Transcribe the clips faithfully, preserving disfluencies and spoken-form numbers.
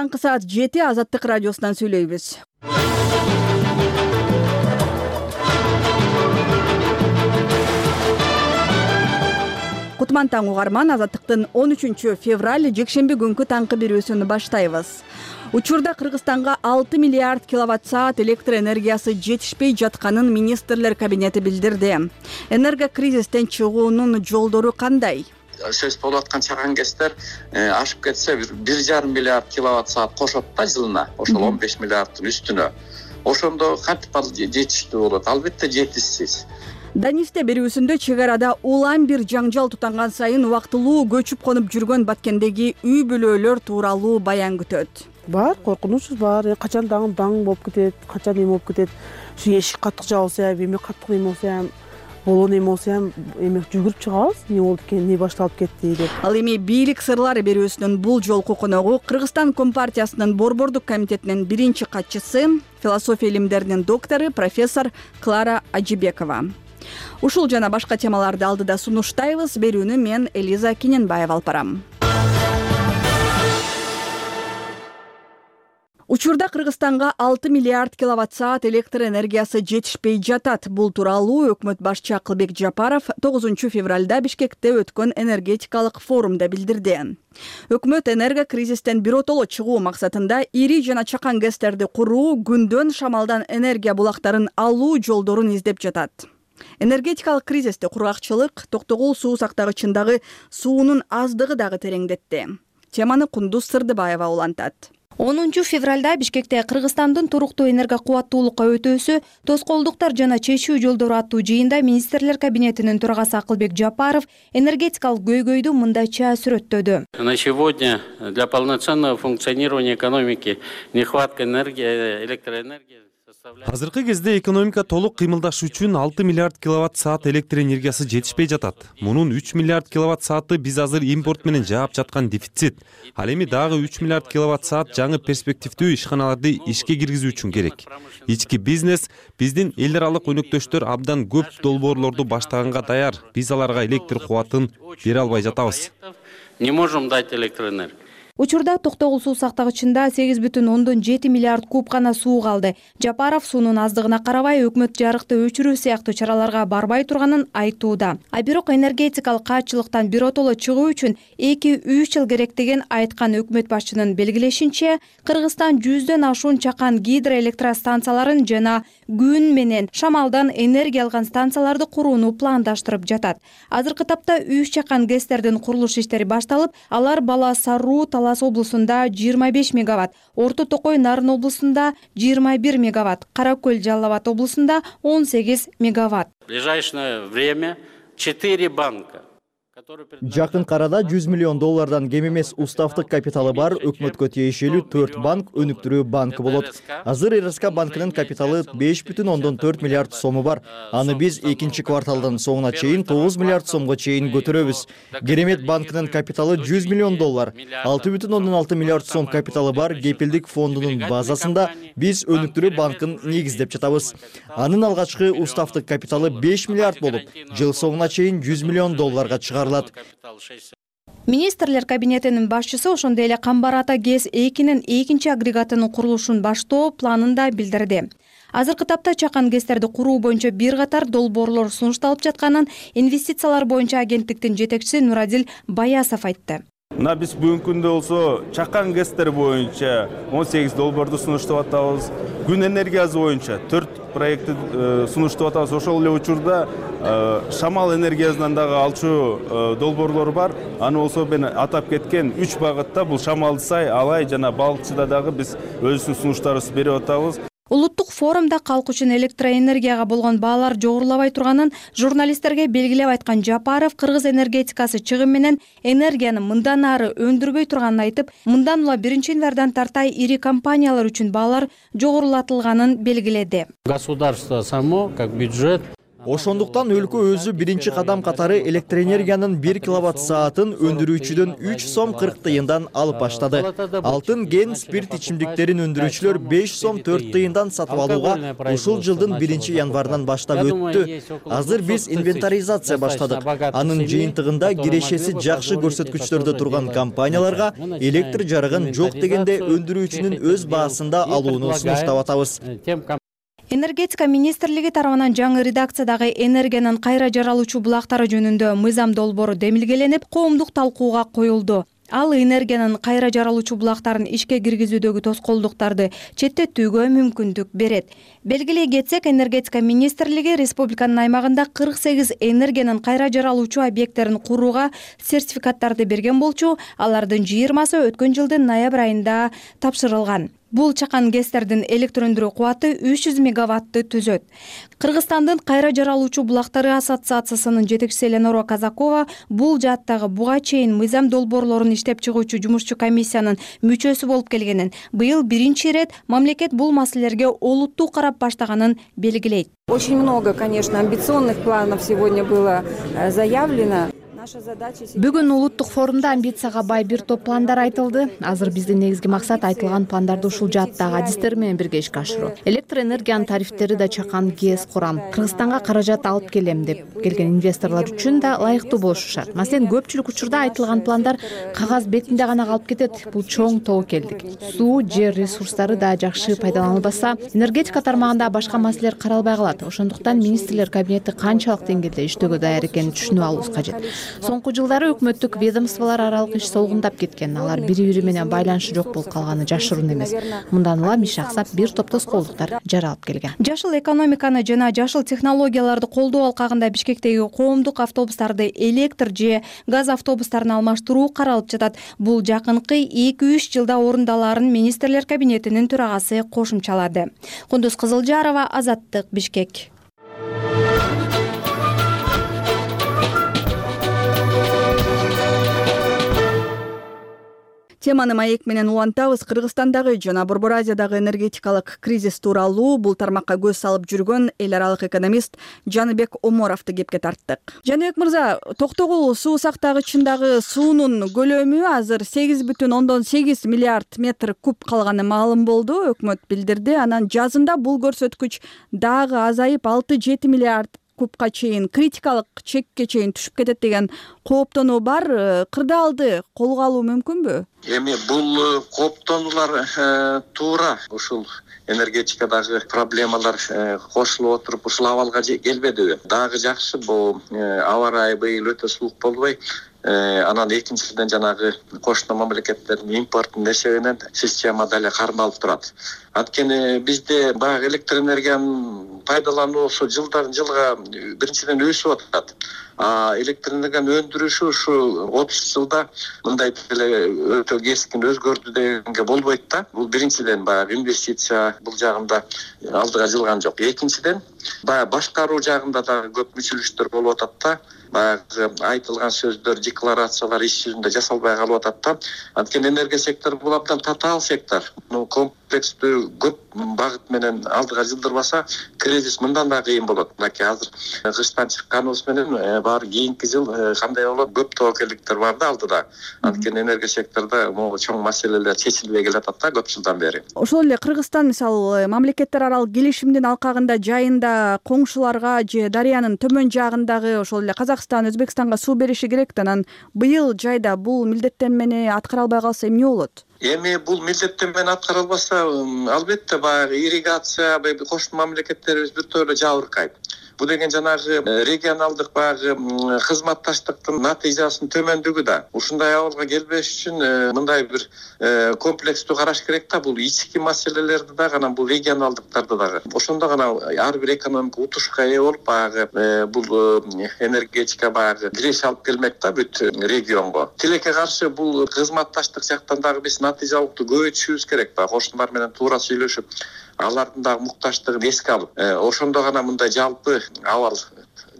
Таңкы саат жети Азаттык радиосунан сүйлөйбүз. Кутман таң угарман, Азаттыктын он үчүнчү февраль жекшемби күнкү таңкы берүүсүн баштайбыз. Учурда Кыргызстанга алты миллиард киловатт саат электр энергиясы жетишпей жатканын министрлер кабинети билдирди. Энерго кризистен чыгуунун жолдору кандай? Сөз болуп аткан чаган кездер ашып кетсе бир жарым миллиард киловатт саат кошот да жылына. Ошол он беш миллиардтын үстүнө. Ошондо кантип ал жетиштүү болот? Албетте жетишсиз. Данисте берүүсүндө чек арада улам бир жаңжал тутанган сайын убактылуу көчүп конуп жүргөн Баткендеги үй бүлөлөр тууралуу баян күтөт. Бар, коркунучубуз бар. Качан дагы даң болуп кетет, качан эме болуп кетет. Ушу эшик каттык жабылса, эме каттык эме болсо, болон эме болсо, эме жүгүрүп чыгабыз. Не болду экен, не башталып кетти деп. Ал эми бийлик сырлары берүүсүнүн бул жолку коногу Кыргызстан Компартиясынын борбордук комитетинин биринчи катчысы, философия илимдеринин доктору профессор Клара Ажибекова. Ушул жана башка темаларды алдыда сунуштайбыз. Берүүнү мен Элиза Кененбаева алып барам. Учурда Кыргызстанга алты миллиард киловатт саат электр энергиясы жетишпей жатат. Бул тууралуу өкмөт башчы Акылбек Жапаров тогузунчу февралда Бишкекте өткөн энергетикалык форумда билдирди. Өкмөт энерго кризистен биротоло чыгуу максатында ири жана чакан гэстерди куруу, күндөн шамалдан энергия булактарын алуу жолдорун издеп жатат. Энергетикалык кризисте кургакчылык, токтогул суу сактагычындагы суунун аздыгы дагы тереңдетти. Теманы Кундуз Сырдыбаева улантат. онунчу февралда Бишкекте Кыргызстандын туруктуу энерго кубаттуулукка өтөөсү, тоскоолдуктар жана чечүү жолдору аттуу жыйында министрлер кабинетинин төрагасы Акылбек Жапаров энергетикалык көйгөйдү мындайча сүрөттөдү. На сегодня для полноценного функционирования экономики нехватка энергии, электроэнергии. Азыркы кезде экономика толук кыймылдашы үчүн алты миллиард киловатт саат электр энергиясы жетишпей жатат. Мунун үч миллиард киловатт сааты биз азыр импорт менен жаап жаткан дефицит. Ал эми дагы үч миллиард киловатт саат жаңы перспективдүү ишканаларды ишке киргизүү үчүн керек. Ички бизнес, биздин эл аралык өнөктөштөр абдан көп долбоорлорду баштаганга даяр. Биз аларга электр кубатын бере албай жатабыз. Не можем дать электроэнергию. Учурда токтогул суу сактагычында сегиз бүтүн ондон жети миллиард куб гана суу калды. Жапаров суунун аздыгына карабай өкмөт жарыкты өчүрүү сыяктуу чараларга барбай турганын айтууда. А бирок энергетикалык каатчылыктан биротоло чыгуу үчүн эки үч жыл керек деген айткан өкмөт башчынын белгилешинче, Кыргызстан жүздөн ашуун чакан гидроэлектростанцияларын жана күн менен шамалдан энергия алган станцияларды курууну пландаштырып жатат. Азыркы тапта үч чакан гэстердин курулуш иштери башталып, алар Бала Саруу Талас облусунда жыйырма беш мегаватт, Орто Токой Нарын облусунда жыйырма бир мегаватт, Кара Көл Жалал Абад облусунда он сегиз мегаватт. В ближайшее время четыре банка. Жакын арада жүз миллион доллардан кем эмес уставдык капиталы бар өкмөткө тиешелүү төрт банк өнүктүрүү банкы болот. Азыр эр эс ка банкынын капиталы беш бүтүн ондон төрт миллиард сому бар. Аны биз экинчи кварталдын соңуна чейин тогуз миллиард сомго чейин көтөрөбүз. Керемет банкынын капиталы жүз миллион доллар. алты бүтүн ондон алты миллиард сом капиталы бар Кепилдик фондунун базасында биз өнүктүрүү банкын негиздеп жатабыз. Анын алгачкы уставдык капиталы беш миллиард болуп, жыл соңуна чейин жүз миллион долларга чыгарылат. Министрлер кабинетинин башчысы ошондой эле Камбар Ата ГЭС экинин экинчи агрегатынын курулушун баштоо планын да билдирди. Азыркы тапта чакан гэстерди куруу боюнча бир катар долбоорлор сунушталып жатканын инвестициялар боюнча агенттиктин жетекчиси Нурадил Баясов айтты. Мына биз бүгүнкү күндө болсо чакан гэстер боюнча он сегиз долбоорду сунуштап атабыз. Күн энергиясы боюнча төрт проектти сунуштап атабыз. Ошол эле учурда шамал энергиясынан дагы алчу долбоорлор бар. Аны болсо мен атап кеткен үч багытта бул Шамалды Сай, Алай жана Балыкчыда дагы биз өзүбүздүн сунуштарыбызды берип атабыз. Улуттук форумда калк үчүн электроэнергияга болгон баалар жогорулабай турганын журналисттерге белгилеп айткан Жапаров кыргыз энергетикасы чыгым менен энергияны мындан ары өндүрбөй турганын айтып, мындан ула биринчи январдан тартай ири компаниялар үчүн баалар жогорулатылганын белгиледи. Государство само, как бюджет, Ошондуктан өлкө өзү биринчи кадам катары электр энергиянын бир киловатт саатын өндүрүүчүдөн үч сом кырк тыйындан алып баштады. Алтын ген спирт ичимдиктерин өндүрүүчүлөр беш сом төрт тыйындан сатып алууга ушул жылдын биринчи январынан баштап өттү. Азыр биз инвентаризация баштадык. Анын жыйынтыгында кирешеси жакшы көрсөткүчтөрдө турган компанияларга электр жарыгын жок дегенде өндүрүүчүнүн өз баасында алууну сунуштап атабыз. Энергетика министрлиги тарабынан жаңы редакциядагы энергиянын кайра жаралуучу булактары жөнүндө мыйзам долбоору демилгеленип, коомдук талкууга коюлду. Ал энергиянын кайра жаралуучу булактарын ишке киргизүүдөгү тоскоолдуктарды четтетүүгө мүмкүндүк берет. Белгилей кетсек, энергетика министрлиги республиканын аймагында кырк сегиз энергиянын кайра жаралуучу объекттерин курууга сертификаттарды берген болчу, алардын жыйырмасы өткөн жылдын ноябрь айында тапшырылган. Бул чакан гэстердин электр өндүрүү кубаты үч жүз мегаваттты түзөт. Кыргызстандын кайра жаралуучу булактары ассоциациясынын жетекчиси Эленора Казакова бул жааттагы буга чейин мыйзам долбоорлорун иштеп чыгуучу жумушчу комиссиянын мүчөсү болуп келгенин, быйыл биринчи ирет мамлекет бул маселелерге олуттуу карап баштаганын белгилейт. Очень много, конечно, амбиционных планов сегодня было заявлено. Бүгүн улуттук форумда амбицияга бай бир топ пландар айтылды. Азыр биздин негизги максат айтылган пландарды ушул жааттагы адистер менен бирге ишке ашыруу. Электр энергиянын тарифтери да чакан ГЭС курам. Кыргызстанга каражат алып келем деп келген инвесторлор үчүн да ылайыктуу болушу шарт. Маселен, көпчүлүк учурда айтылган пландар кагаз бетинде гана калып кетет. Бул чоң тобокелдик. Суу, жер ресурстары да жакшы пайдаланылбаса, энергетика тармагында башка маселелер каралбай калат. Ошондуктан министрлер кабинети канчалык деңгээлде иштөөгө даяр экенин түшүнүп алуубуз кажет. Соңку жылдары өкмөттүк ведомстволор аралык иш солгундап кеткен. Алар бири-бири менен байланышы жок болуп калганы жашыруун эмес. Мындан улам иш аксап, бир топ тоскоолдуктар жаралып келген. Жашыл экономиканы жана жашыл технологияларды колдоо алкагында Бишкектеги коомдук автобустарды электр же газ автобустарына алмаштыруу каралып жатат. Бул жакынкы эки үч жылда орундаларын министрлер кабинетинин төрагасы кошумчалады. Кундуз Кызылжарова, Азаттык, Бишкек. Теманы маек менен улантабыз. Кыргызстандагы жана Борбор Азиядагы энергетикалык кризис тууралуу бул тармакка көз салып жүргөн эл аралык экономист Жаныбек Оморовду кепке тарттык. Жаныбек мырза, Токтогул суу сактагычындагы суунун көлөмү азыр сегиз бүтүн ондон сегиз миллиард метр куб калганы маалым болду, өкмөт билдирди. Анан жазында бул көрсөткүч дагы азайып алты жети миллиард кубка чейин, критикалык чекке чейин түшүп кетет деген кооптонуу бар. Кырдаалды колго алуу мүмкүнбү? Эми бул кооптонуулар туура ушул энергетикадагы проблемалар кошулуп отуруп ушул абалга келбедиби? Дагы жакшы, бул аба ырайы быйыл өтө суук болбой, анан экинчиден жанагы кошуна мамлекеттердин импортун эсебинен система дале кармалып турат. Анткени бизде баягы электр энергиянын пайдалануусу жылдан жылга биринчиден өсүп атат. А электр энергиянын өндүрүшү ушу отуз жылда мындай деле өтө кескин өзгөрдү дегенге болбойт да. Бул биринчиден баягы инвестиция бул жагында алдыга жылган жок. Экинчиден баягы башкаруу жагында да көп мүчүлүштөр болуп атат да. Баягы айтылган сөздөр, декларациялар иш жүзүндө жасалбай калып атат да. Анткени энергия сектору бул абдан татаал сектор. Комплекстүү көп багыт менен алдыга жылдырбаса, кризис мындан да кыйын болот. Мынакей азыр кыштан чыкканыбыз менен баары кийинки жыл кандай болот? Көп тобокелдиктер бар да алдыда. Анткени энергия секторунда могу чоң маселелер чечилбей келатат да көп жылдан бери. Ошол эле Кыргызстан мисалы мамлекеттер аралык келишимдин алкагында жайында коңшуларга же дарыянын төмөн жагындагы ошол эле Казакстан, Өзбекстанга суу бериши керек да, анан быйыл жайда бул милдеттенмени аткара албай калса эмне болот? Эми бул милдеттенмени аткара албаса, албетте баягы ирригация кошуна мамлекеттерибиз бир тойло жабыркайт. Бул деген жанагы регионалдык баягы кызматташтыктын натыйжасынын төмөндүгү да. Ушундай абалга келбеш үчүн мындай бир комплекстүү караш керек да. Бул ички маселелерди дагы, анан бул регионалдыктарды дагы. Ошондо гана ар бир экономика утушка ээ болуп, баягы бул энергетика баягы киреше алып келмек да бүт регионго. Тилекке каршы бул кызматташтык жактан дагы биз натыйжалуулукту көбөйтүшүбүз керек да. Кошуналар менен туура сүйлөшүп, алардын дагы муктачтыгын эске алып, ошондо гана мындай жалпы абал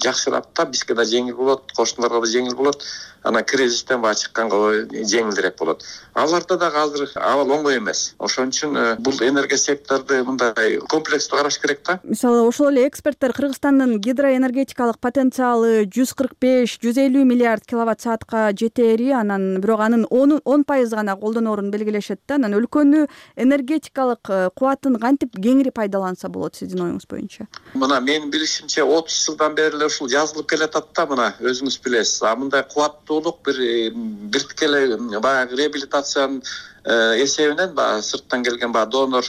жакшырат да, бизге да жеңил болот, кошуналарга да жеңил болот. анан кризистен баягы чыкканга жеңилдирээк болот. Аларда дагы азыр абал оңой эмес. Ошон үчүн бул энергия секторду мындай комплекстүү караш керек да. Мисалы ошол эле эксперттер Кыргызстандын гидроэнергетикалык потенциалы жүз кырк беш жүз элүү миллиард киловатт саатка жетери, анан бирок анын он пайыз гана колдоноорун белгилешет да. Анан өлкөнү энергетикалык кубатын кантип кеңири пайдаланса болот сиздин оюңуз боюнча? Мына менин билишимче отуз жылдан бери эле ушул жазылып келатат да, мына өзүңүз билесиз. А мындай кубаттуулук бир бир тикелей баягы реабилитациянын эсебинен, баягы сырттан келген баягы донор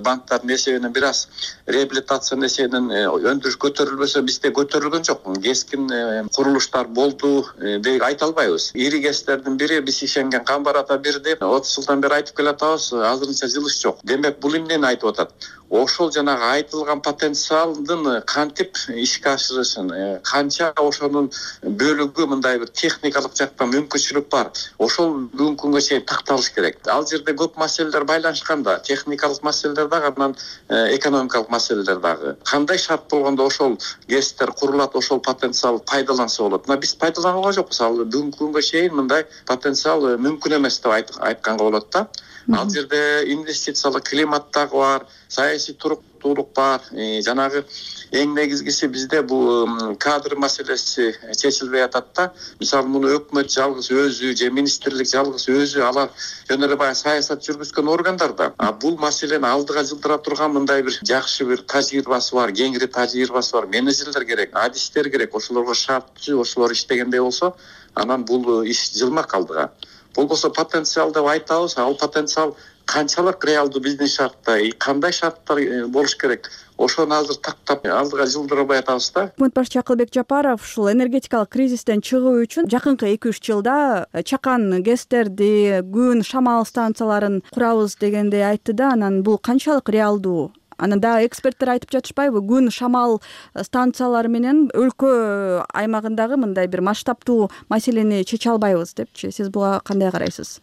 банктардын эсебинен бир аз реабилитациянын эсебинен өндүрүш көтөрүлбөсө, бизде көтөрүлгөн жок. Кескин курулуштар болду деп айта албайбыз. Ири кестердин бири биз ишенген Камбарата бир деп отуз жылдан бери айтып келатабыз, азырынча жылыш жок. Демек бул эмнени айтып атат? Ошол жанагы айтылган потенциалдын кантип ишке ашырышын, канча ошонун бөлүгү мындай бир техникалык жактан мүмкүнчүлүк бар. Ошол бүгүнкү күнгө чейин такталыш керек. Ал жерде көп маселелер байланышкан да, техникалык маселелер дагы, анан экономикалык маселелер дагы. Кандай шарт болгондо ошол гэстер курулат, ошол потенциал пайдаланса болот. Мына биз пайдаланганга жокпуз. Ал бүгүнкү күнгө чейин мындай потенциал мүмкүн эмес деп айтканга болот да. Ал жерде инвестициялык климат дагы бар, саясий туруктуулук бар. Жанагы эң негизгиси бизде бул кадр маселеси чечилбей атат да. Мисалы муну өкмөт жалгыз өзү же министрлик жалгыз өзү алар жөн эле баягы саясат жүргүзгөн органдар да. А бул маселени алдыга жылдыра турган мындай бир жакшы бир тажрыйбасы бар, кеңири тажрыйбасы бар менеджерлер керек, адистер керек. Ошолорго шарттуу, ошолор иштегендей болсо, анан бул иш жылмак алдыга. Болбосо потенциал деп айтабыз, ал потенциал канчалык реалдуу биздин шартта, кандай шарттар болуш керек? Ошону азыр тактап алдыга жылдырбай атабыз да. Өкмөт башчысы Акылбек Жапаров ушул энергетикалык кризистен чыгуу үчүн жакынкы эки үч жылда чакан гэстерди, күн шамал станцияларын курабыз дегенди айтты да. Анан бул канчалык реалдуу? Анан дагы эксперттер айтып жатышпайбы, күн шамал станциялары менен өлкө аймагындагы мындай бир масштабтуу маселени чече албайбыз депчи. Сиз буга кандай карайсыз?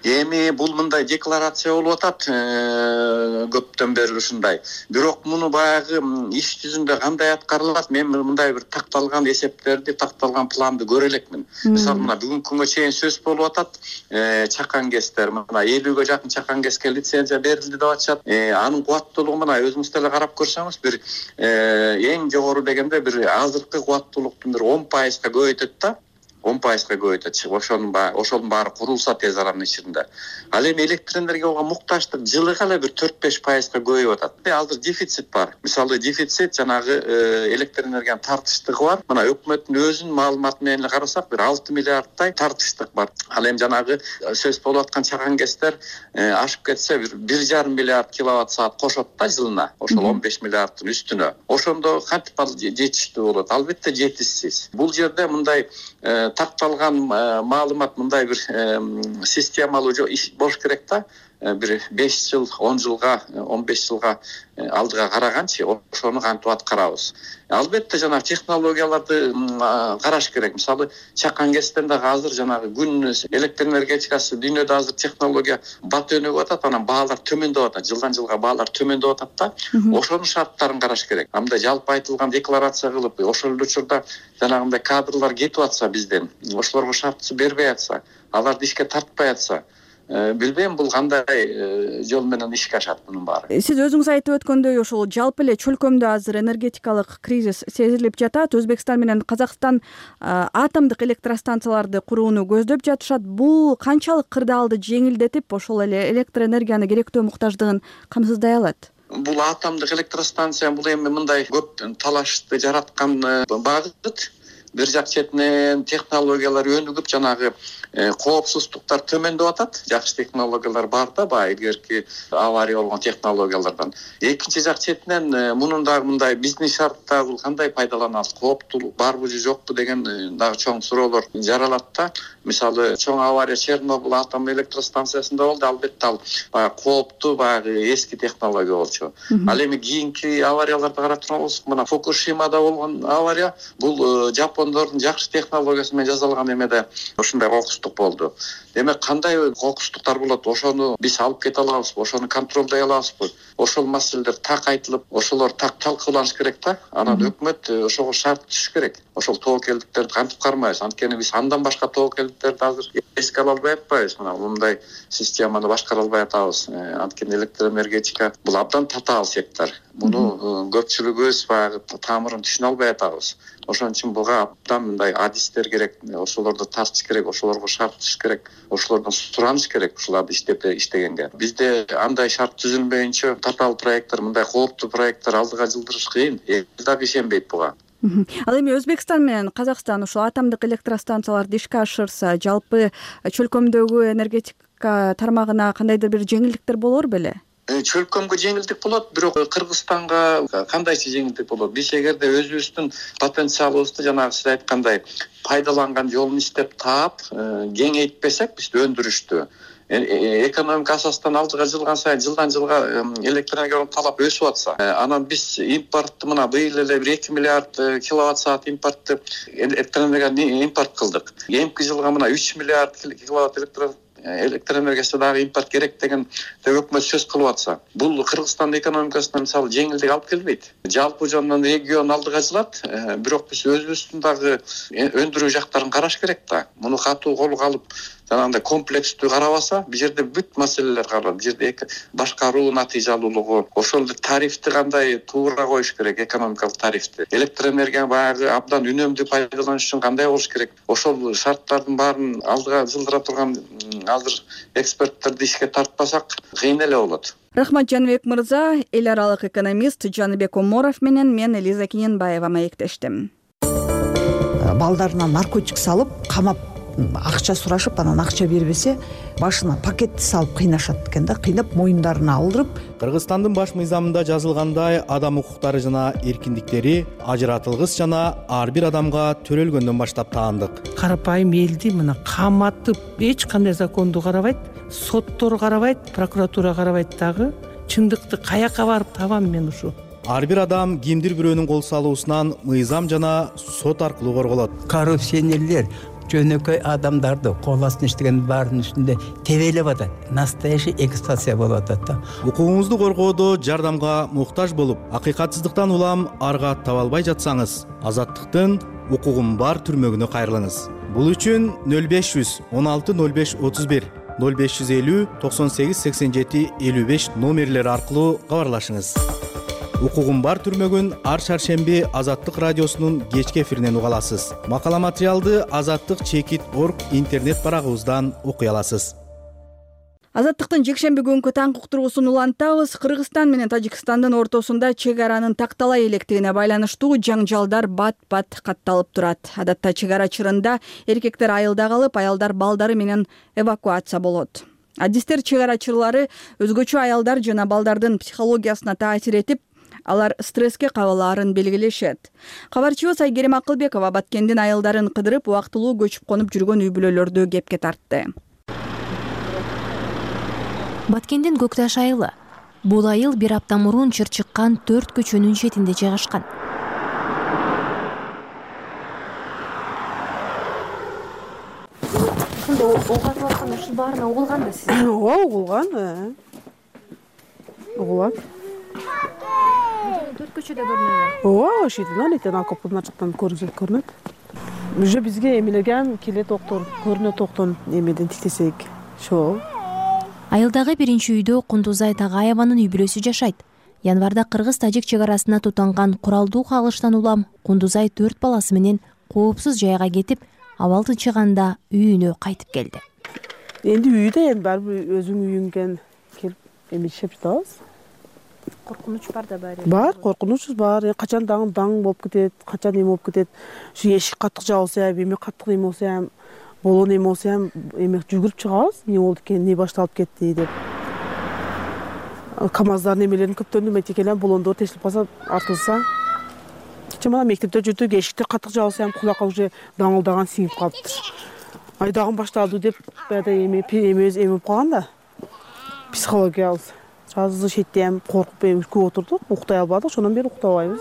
Эми бул мындай декларация болуп атат көптөн бери ушундай. Бирок муну баягы иш жүзүндө кандай аткарылат, мен мындай бир такталган эсептерди, такталган планды көрө элекмин. Мисалы мына бүгүнкү күнгө чейин сөз болуп атат, чакан гэстер мына элүүгө жакын чакан гэске лицензия берилди деп атышат. Анын кубаттуулугу мына өзүңүз деле карап көрсөңүз, бир эң жогору дегенде бир азыркы кубаттуулуктун бир он пайызга көбөйтөт да. он пайызга көбөйтөт. Ошонун баары, ошонун баары курулса тез аранын ичинде. Ал эми электр энергияга муктаждык жылыга эле бир төрт беш пайызга көбөйүп атат. Азыр дефицит бар. Мисалы дефицит жанагы электр энергиянын тартыштыгы бар. Мына өкмөттүн өзүнүн маалыматы менен эле карасак, бир алты миллиардтай тартыштык бар. Ал эми жанагы сөз болуп аткан чакан гэстер ашып кетсе бир бир жарым миллиард киловатт саат кошот да жылына. Ошол он беш миллиардтын үстүнө. Ошондо кантип ал жетиштүү болот? Албетте жетишсиз. Бул жерде мындай такталган маалымат, мындай бир системалуу иш болуш керек да. Бир беш жыл, он жылга, он беш жылга алдыга караганчы ошону кантип аткарабыз. Албетте жанагы технологияларды караш керек. Мисалы чакан гэстен дагы азыр жанагы күн электр энергетикасы дүйнөдө азыр технология бат өнүгүп атат, анан баалар төмөндөп атат. Жылдан жылга баалар төмөндөп атат да. Ошонун шарттарын караш керек. Андай жалпы айтылган декларация кылып, ошол эле учурда жанагындай кадрлар кетип атса бизден, ошолорго шартсы бербей атса, аларды ишке тартпай атса, билбейм бул кандай жол менен ишке ашат мунун баары. Сиз өзүңүз айтып өткөндөй, ошол жалпы эле чөлкөмдө азыр энергетикалык кризис сезилип жатат. Өзбекстан менен Казакстан атомдук электростанцияларды курууну көздөп жатышат. Бул канчалык кырдаалды жеңилдетип, ошол эле электр энергияны керектөө муктаждыгын камсыздай алат? Бул атомдук электростанция бул эми мындай көп талашты жараткан багыт. Бир жак четинен технологиялар өнүгүп, жанагы коопсуздуктар төмөндөп атат. Жакшы технологиялар бар да, баягы илгерки авария болгон технологиялардан. Экинчи жак четинен мунун дагы мындай бизнес шартта бул кандай пайдаланат, кооптуулук барбы же жокпу деген дагы чоң суроолор жаралат да. Мисалы чоң авария Чернобыль атом электростанциясында болду, албетте ал баягы кооптуу, баягы эски технология болчу. Ал эми кийинки аварияларды карап турган болсок, мына Фукушимада болгон авария бул Жапондордун жакшы технологиясы менен жасалган эмеде ушундай кокустуу кокустук болду. Демек кандай кокустуктар болот, ошону биз алып кете алабызбы, ошону контролдой алабызбы? Ошол маселелер так айтылып, ошолор так талкууланыш керек да. Анан өкмөт ошого шарт түзүш керек. Ошол тобокелдиктерди кантип кармайбыз? Анткени биз андан башка тобокелдиктерди азыр эске ала албай атпайбыз. Мына мындай системаны башкара албай атабыз. Анткени электроэнергетика бул абдан татаал сектор. Муну көпчүлүгүбүз баягы тамырын түшүнө албай атабыз. Ошон үчүн буга абдан мындай адистер керек, ошолорду тартыш керек, ошолорго шарт түзүш керек, ошолордон сураныш керек ушуларды иштеп иштегенге. Бизде андай шарт түзүлмөйүнчө татаал проекттер, мындай кооптуу проекттер алдыга жылдырыш кыйын. Эл дагы ишенбейт буга. Ал эми Өзбекстан менен Казакстан ушул атомдук электростанцияларды ишке ашырса, жалпы чөлкөмдөгү энергетика тармагына кандайдыр бир жеңилдиктер болор беле? Чөлкөмгө жеңилдик болот, бирок Кыргызстанга кандайча жеңилдик болот? Биз эгерде өзүбүздүн потенциалыбызды жанагы сиз айткандай пайдаланган жолун иштеп таап, кеңейтпесек, биз өндүрүштү экономика асасынан алдыга жылган сайын жылдан жылга электроэнергиянын талап өсүп атса, анан биз импортту мына быйыл эле бир эки миллиард киловатт саат импортту электроэнергияны импорт кылдык. Эмки жылга мына үч миллиард киловатт электро электроэнергиясы дагы импорт керек деген өкмөт сөз кылып атса, бул Кыргызстандын экономикасына мисалы жеңилдик алып келбейт. Жалпы жонунан регион алдыга жылат, бирок биз өзүбүздүн дагы өндүрүү жактарын караш керек да. Муну катуу колго алып, жанагындай комплекстүү карабаса, бул жерде бүт маселелер калат. Бул жерде башкаруу натыйжалуулугу, ошол эле тарифти кандай туура коюш керек, экономикалык тарифти. Электроэнергияны баягы абдан үнөмдүү пайдаланыш үчүн кандай болуш керек? Ошол шарттардын баарын алдыга жылдыра турган азыр эксперттерди ишке тартпасак, кыйын эле болот. Рахмат Жаныбек мырза, эл аралык экономист Жаныбек Оморов менен мен Элиза Кененбаева маектештим. Балдарынан наркотик салып, камап акча сурашып, анан акча бербесе, башына пакетти салып кыйнашат экен да, кыйнап моюндарына алдырып. Кыргызстандын баш мыйзамында жазылгандай, адам укуктары жана эркиндиктери ажыратылгыс жана ар бир адамга төрөлгөндөн баштап таандык. Карапайым элди мына каматып, эч кандай законду карабайт, соттор карабайт, прокуратура карабайт дагы. Чындыкты каяка барып табам мен ушу? Ар бир адам кимдир бирөөнүн кол салуусунан мыйзам жана сот аркылуу корголот. Коррупционерлер жөнөкөй адамдарды кол астына иштеген баарынын үстүндө тебелеп атат. Настоящий эксплуатация болуп атат да. Укугуңузду коргоодо жардамга муктаж болуп, акыйкатсыздыктан улам арга таба албай жатсаңыз, Азаттыктын укугум бар түрмөгүнө кайрылыңыз. Бул үчүн нөл беш жүз он алты нөл беш отуз бир, нөл беш жүз элүү токсон сегиз сексен жети элүү беш номерлери аркылуу кабарлашыңыз. Укугум бар түрмөгүн ар шаршемби Азаттык радиосунун кечки эфиринен уга аласыз. Макала материалды Азаттык чекит точка орг интернет барагыбыздан окуй аласыз. Азаттыктын жекшемби күнкү таңкы уктуруусун улантабыз. Кыргызстан менен Тажикстандын ортосунда чек аранын такталай электигине байланыштуу жаңжалдар бат-бат катталып турат. Адатта чек ара чырында эркектер айылда калып, аялдар балдары менен эвакуация болот. Адистер чек ара чырлары өзгөчө аялдар жана балдардын психологиясына таасир этип, алар стресске кабылаарын белгилешет. Кабарчыбыз Айгерим Акылбекова Баткендин айылдарын кыдырып, убактылуу көчүп конуп жүргөн үй бүлөлөрдү кепке тартты. Баткендин Көкташ айылы. Бул айыл бир апта мурун чыр чыккан төрт көчөнүн четинде жайгашкан. Угатып аткан ушул баарына угулган да сиз? Ооба, угулган. Угулат. Төрт көчөдө көрүнөбү? Ооба, ошентип этен алкополдун ачыктан көрүнөт, көрүнөт. Уже бизге эмелерге ham келет доктор, көрүнөт доктор эмеден тиктесек. Шо. Айылдагы биринчи үйдө Кундузай Тагаеванын үй бүлөсү жашайт. Январда кыргыз-тажик чек арасына тутанган куралдуу кагылыштан улам Кундузай төрт баласы менен коопсуз жайга кетип, абал тынчыганда үйүнө кайтып келди. Энди үйдө эми барбы өзүң үйүңгөн келип эми иштеп жатабыз. Коркунуч бар да баары? Бар, коркунучубуз бар. Качан дагы даң болуп кетет, качан эме болуп кетет. Ушу эшик каттык жабылса, эме каттык эме болсо, болон эме болсо, эме жүгүрүп чыгабыз. Эмне болду экен, эмне башталып кетти деп. КамАЗдардын эмелерин көптөрүнүн метекелен болондор тешилип калса, артылса. Кече мына мектепте жүрдүк, эшиктер каттык жабылса, кулакка уже даңылдаган сиңип калыптыр. Айдагым башталды деп, баягы эме эмебиз эме болуп калган да. Психологиябыз. Жазы шетте ham коркуп эми көп отурдук, уктай албадык, ошондон бери уктабайбыз.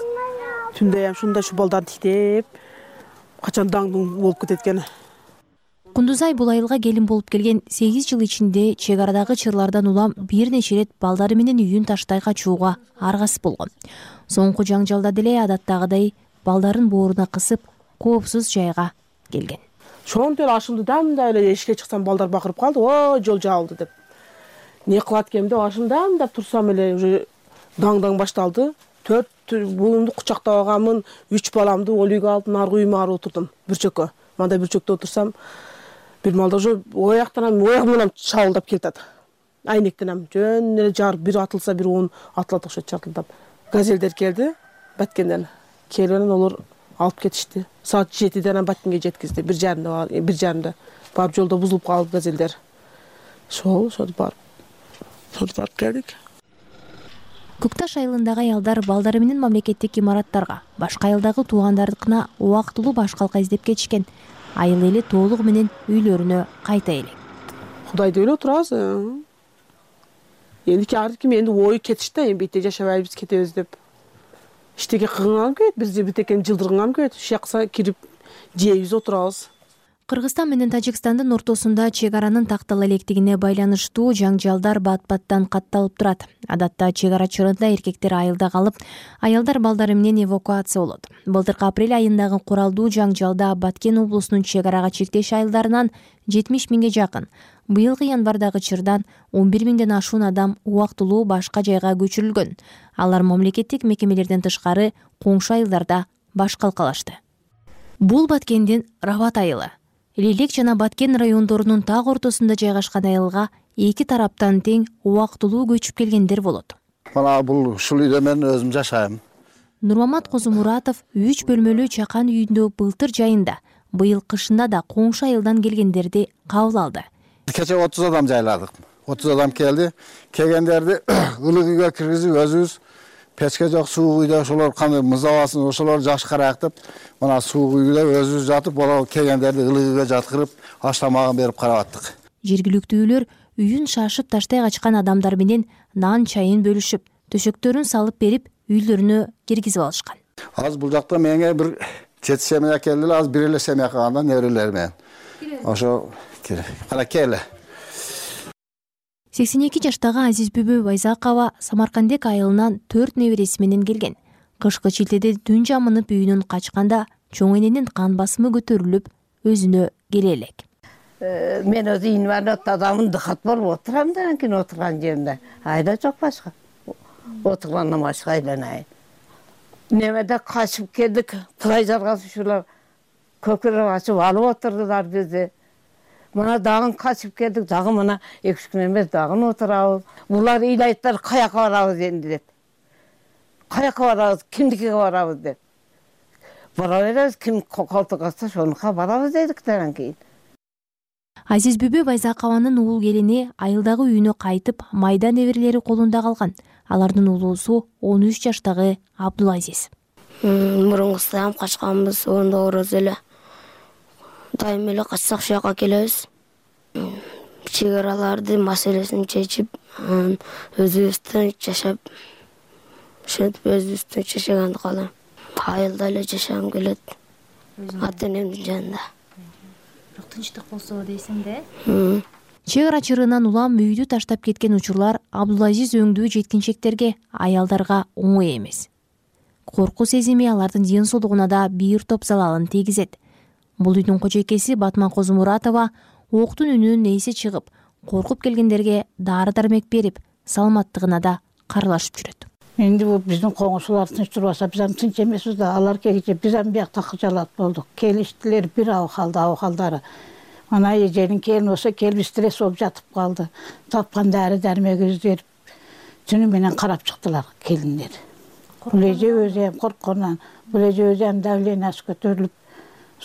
Түндө ham ушундай ушу балдарды тиктеп, качан даңдың болуп кетет экен. Кундузай бул айылга келин болуп келген сегиз жыл ичинде чек арадагы чырлардан улам бир нече ирет балдары менен үйүн таштай качууга аргасыз болгон. Соңку жаңжалда деле адаттагыдай балдарын бооруна кысып, коопсуз жайга келген. Шонтол ашымды дамда эле эшикке чыксам балдар бакырып калды. О, жол жабылды деп. Не кылат экенмин деп ашымдам деп турсам эле уже даң-даң башталды. Төрт булумду кучактап алганмын, үч баламды ол үйгө алып, наркы үйүмө барып отурдум бүрчөккө. Мындай бүрчөктө отурсам, бир малда уже ояктан оягым менен шабылдап келатат. Айнектенем, жөн эле жар бир атылса, бир он атылат окшойт чартылдап. Газелдер келди, Баткенден. Келгенен олар алып кетишти. Саат жетиден Баткенге жеткизди. Бир жарымда, бир жарымда. Барып жолдо бузулуп калды газелдер. Шол, ошол барып. Шол барып келдик. Көкташ айылындагы аялдар балдары менен мамлекеттик имараттарга, башка айылдагы туугандарыкына убактылуу баш калка издеп кетишкен. Айыл эли толугу менен үйлөрүнө кайта элек. Кудайды ойлоп турабыз. Эндики ар ким энди ой кетишти, эми бите жашабайбыз, кетебиз деп. Иштеге кыгынган келет, бизди битекен жылдырган келет. Шакса кирип жейбиз, отурабыз. Кыргызстан менен Тажикстандын ортосунда чек аранын тактала электигине байланыштуу жаңжалдар бат-баттан катталып турат. Адатта чек ара чырында эркектер айылда калып, аялдар балдары менен эвакуация болот. Былтыркы апрель айындагы куралдуу жаңжалда Баткен облусунун чек арага чектеш айылдарынан жетимиш миңге жакын, быйылкы январдагы чырдан он бир миңден ашуун адам убактылуу башка жайга көчүрүлгөн. Алар мамлекеттик мекемелерден тышкары коңшу айылдарда баш калкалашты. Бул Баткендин Рабат айылы. Лелек жана Баткен райондорунун так ортосунда жайгашкан айылга эки тараптан тең убактылуу көчүп келгендер болот. Мана бул ушул үйдө мен өзүм жашайм. Нурмамат Козумуратов үч бөлмөлүү чакан үйүндө былтыр жайында, быйыл кышында да коңшу айылдан келгендерди кабыл алды. Кече отуз адам жайладык. отуз адам келди. Келгендерди ылык үйгө киргизип өзүбүз печке жок суук үйдө ошолор кандай мызабасын ошолор жакшы карайык деп, мына суук үйдө өзүбүз жатып, боло келгендерди ылык үйгө жаткырып, аш тамагын берип карап аттык. Жергиликтүүлөр үйүн шашып таштай качкан адамдар менен нан чайын бөлүшүп, төшөктөрүн салып берип, үйлөрүнө киргизип алышкан. Аз бул жакта менге бир жети семья келди, аз бир эле семья калганда неберелер менен. Ошо кана келе. сексен эки жаштагы Азизбүбү Байзакова Самаркандек айылынан төрт небереси менен келген. Кышкы чилтеде түн жамынып үйүнөн качканда чоң эненин кан басымы көтөрүлүп, өзүнө келе элек. Мен өзү инвалид адамын дыхат болуп отурам да, анткени отурган жеримде айла жок башка. Отургандан башка айланайын. Немеде качып келдик, тылай жаргасушулар көкүрөп ачып алып отурдулар бизди. Мына дагы качып келдик, дагы мына эки үч күн эмес дагы отурабыз. Булар ыйлайттар, каяка барабыз энди деп. Каяка барабыз, кимдикиге барабыз деп. Бара беребиз, ким колтук ачса ошонука барабыз дедик андан кийин. Азизбүбү Байзакованын уул келини айылдагы үйүнө кайтып, майда неберелери колунда калган. Алардын уулусу он үч жаштагы Абдулазиз. Мурункусам качканбыз, онда ороз эле. Дайым эле качсак жака келебиз. Чек араларды маселесин чечип, өзүбүздөн жашап, ошентип өзүбүздөн жашаганды каалайм. Айылда эле жашагым келет. Ата энемдин жанында. Тынчтык болсо дейсиң да? Чек ара чырынан улам үйдү таштап кеткен учурлар Абдулазиз өңдүү жеткинчектерге, аялдарга оңой эмес. Корку сезими алардын ден соолугуна да бир топ залалын тийгизет. Бул үйдүн кожойкеси Батман Козумуратова октун үнүнүн эси чыгып, коркуп келгендерге дары-дармек берип, саламаттыгына да каралашып жүрөт. Энди бул биздин коңшулар тынч турбаса, биз ам тынч эмеспиз да, алар келгенче биз ам биякта кыжалат болдук. Келиштилер бир абакалда, абакалдары. Ана эженин келин болсо, келип стресс болуп жатып калды. Тапкан дары дармегибизди берип, түнү менен карап чыктылар келиндер. Бул эже өзү эм коркконунан, бул эже өзү эм давлениясы көтөрүлүп,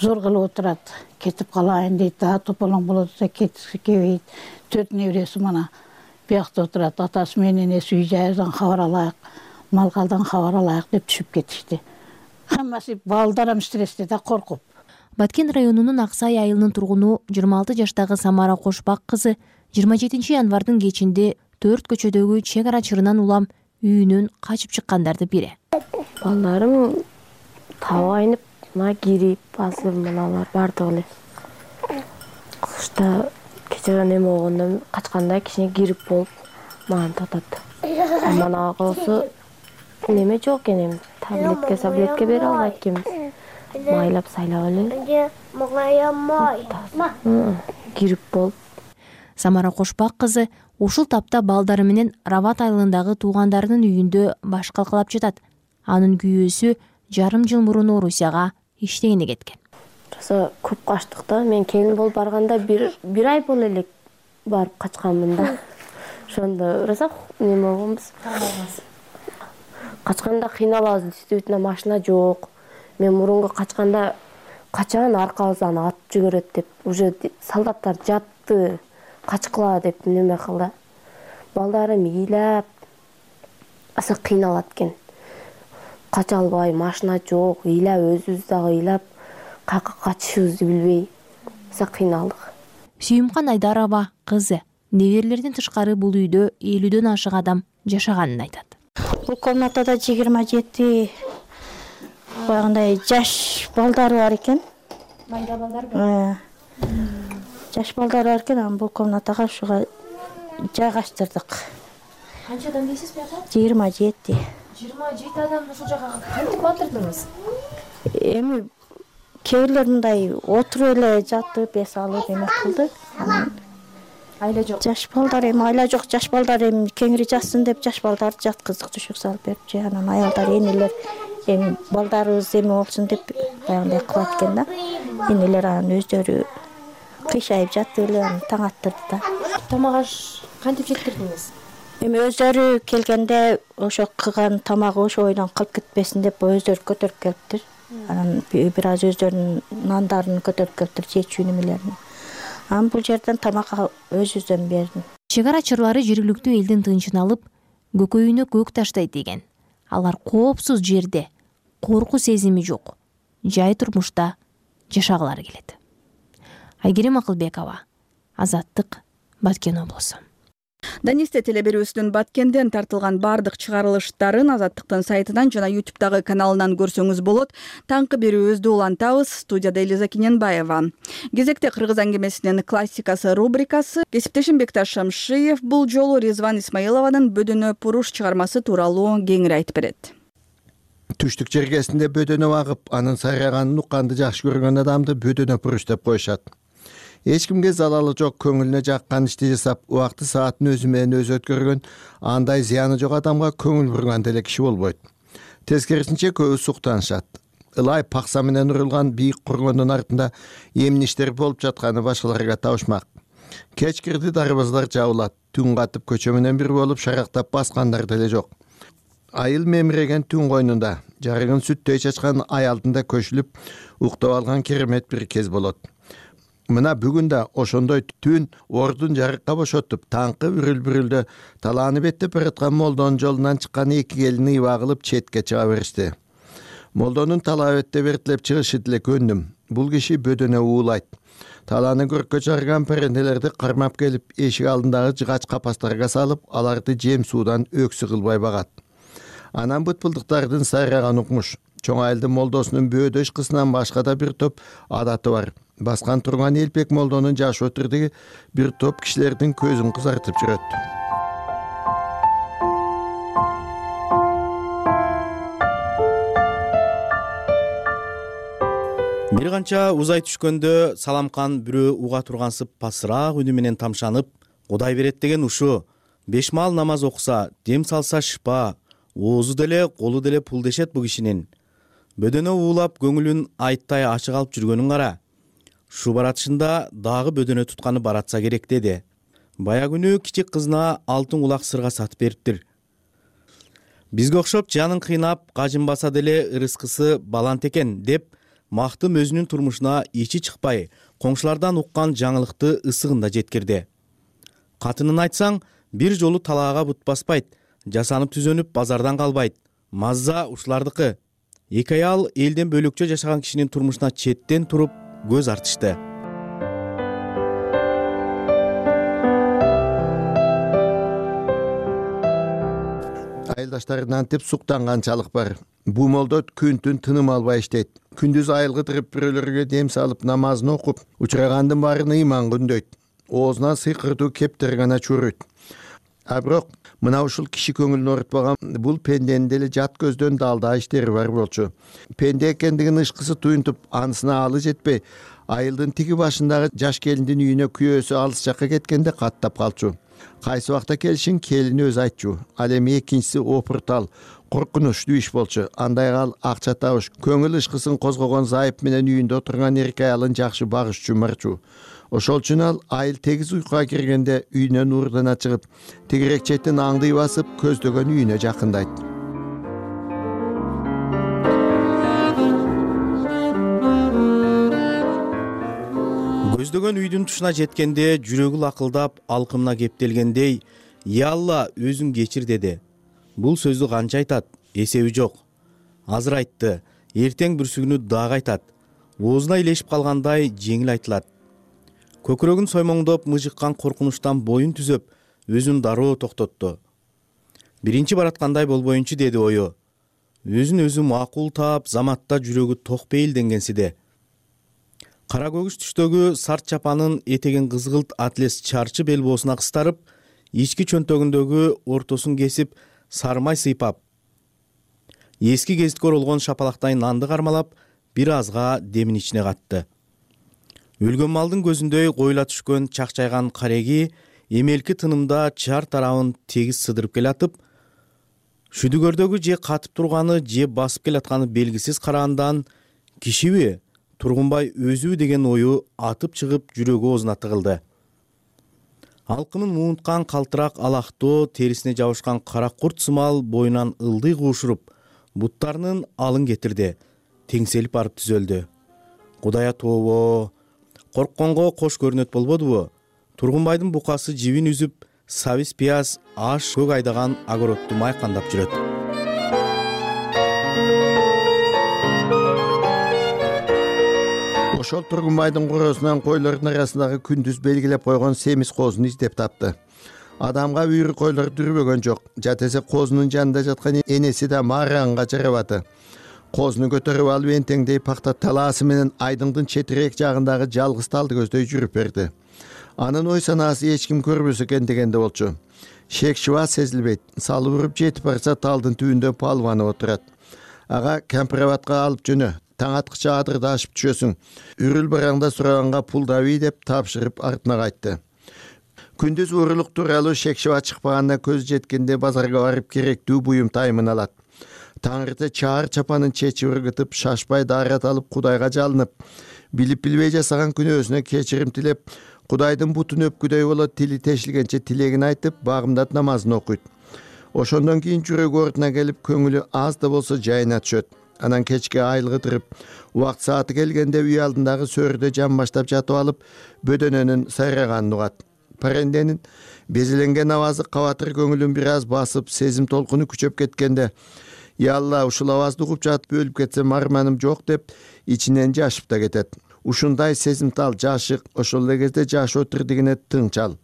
зор кылып отурат. Кетип калайын дейт, да тополоң болот десе кетиси келбейт. Төрт небереси мана биякта отурат. Атасы менен энеси үй жайдан кабар алайык, малгалдан кабар алайык деп түшүп кетишти. Хаммасы балдарым стрессте да коркуп. Баткен районунун Аксай айылынын тургуну жыйырма алты жаштагы Самара Кошбак кызы жыйырма жетинчи январдын кечинде төрт көчөдөгү чек ара чырынан улам үйүнөн качып чыккандарды бири. Балдарым таба айнып, мына кирип, азыр мыналар бардыгы эле кышта кечээ неме болгондо качканда кичине грипп болуп маған татат. Манага болсо неме жок экен, эми таблетке таблетке бере албайт экенбиз. Майлап сайлап эле. Грипп болуп. Самара Кошбак кызы ушул тапта балдары менен Рават айылындагы туугандарынын үйүндө баш калкалап жатат. Анын күйөөсү жарым жыл мурун Орусияга иштегени кеткен. Жаса көп качтык да. Мен келин болуп барганда бир бир ай боло элек барып качканмын да. Ошондо раса неме болгонбуз. Качканда кыйналабыз, действительно машина жок. Мен мурунку качканда качан аркабыздан атып жүгөрөт деп, уже солдаттар жатты, качкыла деп неме кылды. Балдарым ыйлап, аса кыйналат экен. Кача албай, машина жок, ыйлап, өзүбүз дагы ыйлап, каяка качышыбызды билбей, аса кыйналдык. Сүйүмкан Айдарова кызы неберелерден тышкары бул үйдө элүүдөн ашык адам жашаганын айтат. Бул комнатада жыйырма жети багындай жаш балдары бар экен. Майда балдар. Жаш балдар бар экен, анан бул комнатага ушуга жайгаштырдык. Канча адам дейсиз буяка? жыйырма жети. жыйырма жети адам ушул жакка кантип батырдыңыз? Эми кээрлер мындай отуруп эле жатып, эс алып эме кылды. Айла жок. Жаш балдар эми айла жок, жаш балдар эми кеңири жатсын деп жаш балдарды жаткыздык, түшүк салып берип, же анан аялдар, энелер эми балдарыбыз эме болсун деп баягындай кылат экен да. Энелер анан өздөрү кыйшайып жатып эле анан таң аттырды да. Тамак аш кантип жеткирдиңиз? Эми өздөрү келгенде ошо кылган тамагы ошо бойдон калып кетпесин деп өздөрү көтөрүп келиптир. Анан бир аз өздөрүнүн нандарын көтөрүп келиптир, чечүү немелерин. Анан бул жерден тамакка өзүбүздөн бердим. Чек арачылары жергиликтүү элдин тынчын алып, көкөйүнө көк таштайт деген. Алар коопсуз жерде, корку сезими жок, жай турмушта жашагылары келет. Айгерим Акылбекова, Азаттык, Баткен облусу. Данисте телеберүүсүнүн Баткенден тартылган бардык чыгарылыштарын Азаттыктын сайтынан жана ютубтагы каналынан көрсөңүз болот. Таңкы берүүбүздү улантабыз. Студияда Элиза Киненбаева. Кезекте кыргыз аңгемесинин классикасы рубрикасы. Кесиптешим Бекташ Шамшиев бул жолу Резван Исмаилованын Бөдөнө Пуруш чыгармасы тууралуу кеңири айтып берет. Түштүк жергесинде бөдөнө багып, анын сайраганын укканды жакшы көргөн адамды Бөдөнө Пуруш деп коюшат. Эч кимге залалы жок, көңүлүнө жаккан ишти жасап, убакты саатын өзү менен өзү өткөргөн, андай зыяны жок адамга көңүл бурган деле киши болбойт. Тескерисинче көбү суктанышат. Ылай пакса менен урулган бийик кургондун артында эмне иштер болуп жатканы башкаларга табышмак. Кеч кирди дарбаздар жабылат, түн катып көчө менен бир болуп шарактап баскандар деле жок. Айыл мемиреген түн койнунда, жарыгын сүттөй чачкан аялдында көшүлүп, уктап алган керемет бир кез болот. Мына бүгүн да ошондой түн ордун жарыкка бошотуп, таңкы бүрүл-бүрүлдө талааны беттеп бараткан молдонун жолунан чыккан эки келин ыйба кылып четке чыга беришти. Молдонун талаа бетте бертилеп чыгышы деле көндүм. Бул киши Бөдөнө уулайт. Талааны көрккө чыгарган перенделерди кармап келип, эшик алдындагы жыгач капастарга салып, аларды жем суудан өксү кылбай багат. Анан бытпылдыктардын сайраган укмуш. Чоң айылдын молдосунун бөөдөш кызынан башка да бир топ адаты бар. Баскан турган Элбек молдонун жаш отурдуги бир топ кишилердин көзүн кызартып жүрөт. Бир канча узай түшкөндө Саламкан бирөө уга тургансып пасыраак үнү менен тамшанып, Кудай берет деген ушу, беш маал намаз окуса, дем салса шыпа, оозу деле, колу деле пул дешет бу кишинин. Бөдөнө уулап көңүлүн айттай ачык алып жүргөнүн кара. Шу баратышында дагы бөдөнө тутканы баратса керек деди. Бая күнү кичик кызына алтын кулак сырга сатып бериптир. Бизге окшоп жанын кыйнап, кажынбаса деле ырыскысы балант экен деп, мактым өзүнүн турмушуна ичи чыкпай, коңшулардан уккан жаңылыкты ысыгында жеткирди. Катынын айтсаң, бир жолу талаага бут баспайт, жасанып түзөнүп базардан калбайт. Мазза ушулардыкы. Эки аял элден бөлөкчө жашаган кишинин турмушуна четтен туруп көз артышты. Айылдаштарынан теп суктанганчалык бар. Бу молдо күн-түн тыным албай иштейт. күндүз айылгытырып бирөөлөргө дем салып намазын окуп учурагандын баарын ыйманга үндөйт. Оозуна сыйкыртуу кептер гана чуройт. А бирок мына ушул киши көңүлүн оорутпаган бул пенденин деле жат көздөн далда иштери бар болчу. Пенде экендигин ышкысы туюнтуп, анысына алы жетпей, айылдын тиги башындагы жаш келиндин үйүнө күйөөсү алыс жакка кеткенде каттап калчу. Кайсы убакта келишин келини өзү айтчу. Ал эми экинчиси опуртал, коркунучтуу иш болчу. Андай ал акча табыш, көңүл ышкысын козгогон зайып менен үйүндө отурган эркек аялын жакшы багышчу марчу. Ошол үчүн ал айыл тегиз уйкуга киргенде үйүнөн уурдана чыгып, тегирек четин аңдый басып, көздөгөн үйүнө жакындайт. Көздөгөн үйдүн тушуна жеткенде жүрөгү лакылдап, алкымына кептелгендей, «Я Алла, өзүң кечир» деди. Бул сөздү канча айтат, эсеби жок. Азыр айтты, эртең бүрсүгүнү дагы айтат. Оозуна илешип калгандай жеңил айтылат. Көкүрөгүн соймоңдоп мыжыккан коркунучтан боюн түзөп, өзүн дароо токтотту. Биринчи бараткандай болбоюнчу деди ою. Өзүн өзү макул таап, заматта жүрөгү ток бейилденгенсиде. Кара көгүш түштөгү сарт чапанын этегин кызгылт атлес чарчы белбоосуна кыстарып, ички чөнтөгүндөгү ортосун кесип, сармай сыйпап, эски кезиткөр болгон шапалактай нанды кармалап, бир азга демин ичине катты. Өлгөн малдын көзүндөй коюла түшкөн чакчайган кареги эмелки тынымда чар тарабын тегиз сыдырып келатып, шүдүгөрдөгү же катып турганы, же басып келатканы белгисиз караандан кишиби, Тургунбай өзүбү деген ою атып чыгып жүрөгү оозуна тыгылды. Алкымын муунткан калтырак алактоо, терисине жабышкан кара курт сымал боюнан ылдый куушуруп, буттарынын алын кетирди, теңселип барып түзөлдү. Кудая тобо, коркконго кош көрүнөт болбодубу? Тургунбайдын букасы жибин үзүп, сабиз пияз, аш көк айдаган огородду майкандап жүрөт. Ошол Тургунбайдын короосунан койлордун арасындагы күндүз белгилеп койгон семиз коозун издеп тапты. Адамга үйрү койлор дүрбөгөн жок. Жатесе коозунун жанында жаткан энеси да маараңга жарабаты. Коозуну көтөрүп алып энтеңдей пакта талаасы менен айдыңдын четирээк жагындагы жалгыз талды көздөй жүрүп берди. Анын ой санаасы эч ким көрбөсө экен дегенде болчу. Шек шыба сезилбейт. Салып уруп жетип барса талдын түбүндө палванып отурат. Ага кампироватка алып жөнө. Таң аткыча адырды ашып түшөсүң. Үрүл бараңда сураганга пул даби деп тапшырып артына кайтты. Күндүз уурулук тууралуу шекшиба чыкпаганда көз жеткенде базарга барып керектүү буюм тайымын алат. Таңырты чаар чапанын чечип ыргытып, шашпай даарат алып Кудайга жалынып, билип билбей жасаган күнөөсүнө кечирим тилеп, Кудайдын бутун өпкүдөй болот, тили тешилгенче тилегин айтып, багымдат намазын окуйт. Ошондон кийин жүрөгү ордуна келип, көңүлү аз да болсо жайына түшөт. Анан кечке айылгытырып, убакт сааты келгенде үй алдындагы сөрдө жан баштап жатып алып, бөдөнөнүн сайраганын угат. Паренденин безеленген авазы кабатыр көңүлүн бир аз басып, сезим толкуну күчөп кеткенде, «Я Алла, ушул авазды угуп жатып өлүп кетсем арманым жок» деп ичинен жашып да кетет. Ушундай сезимтал жашык ошол эле кезде жашоо тирдигине тыңчал.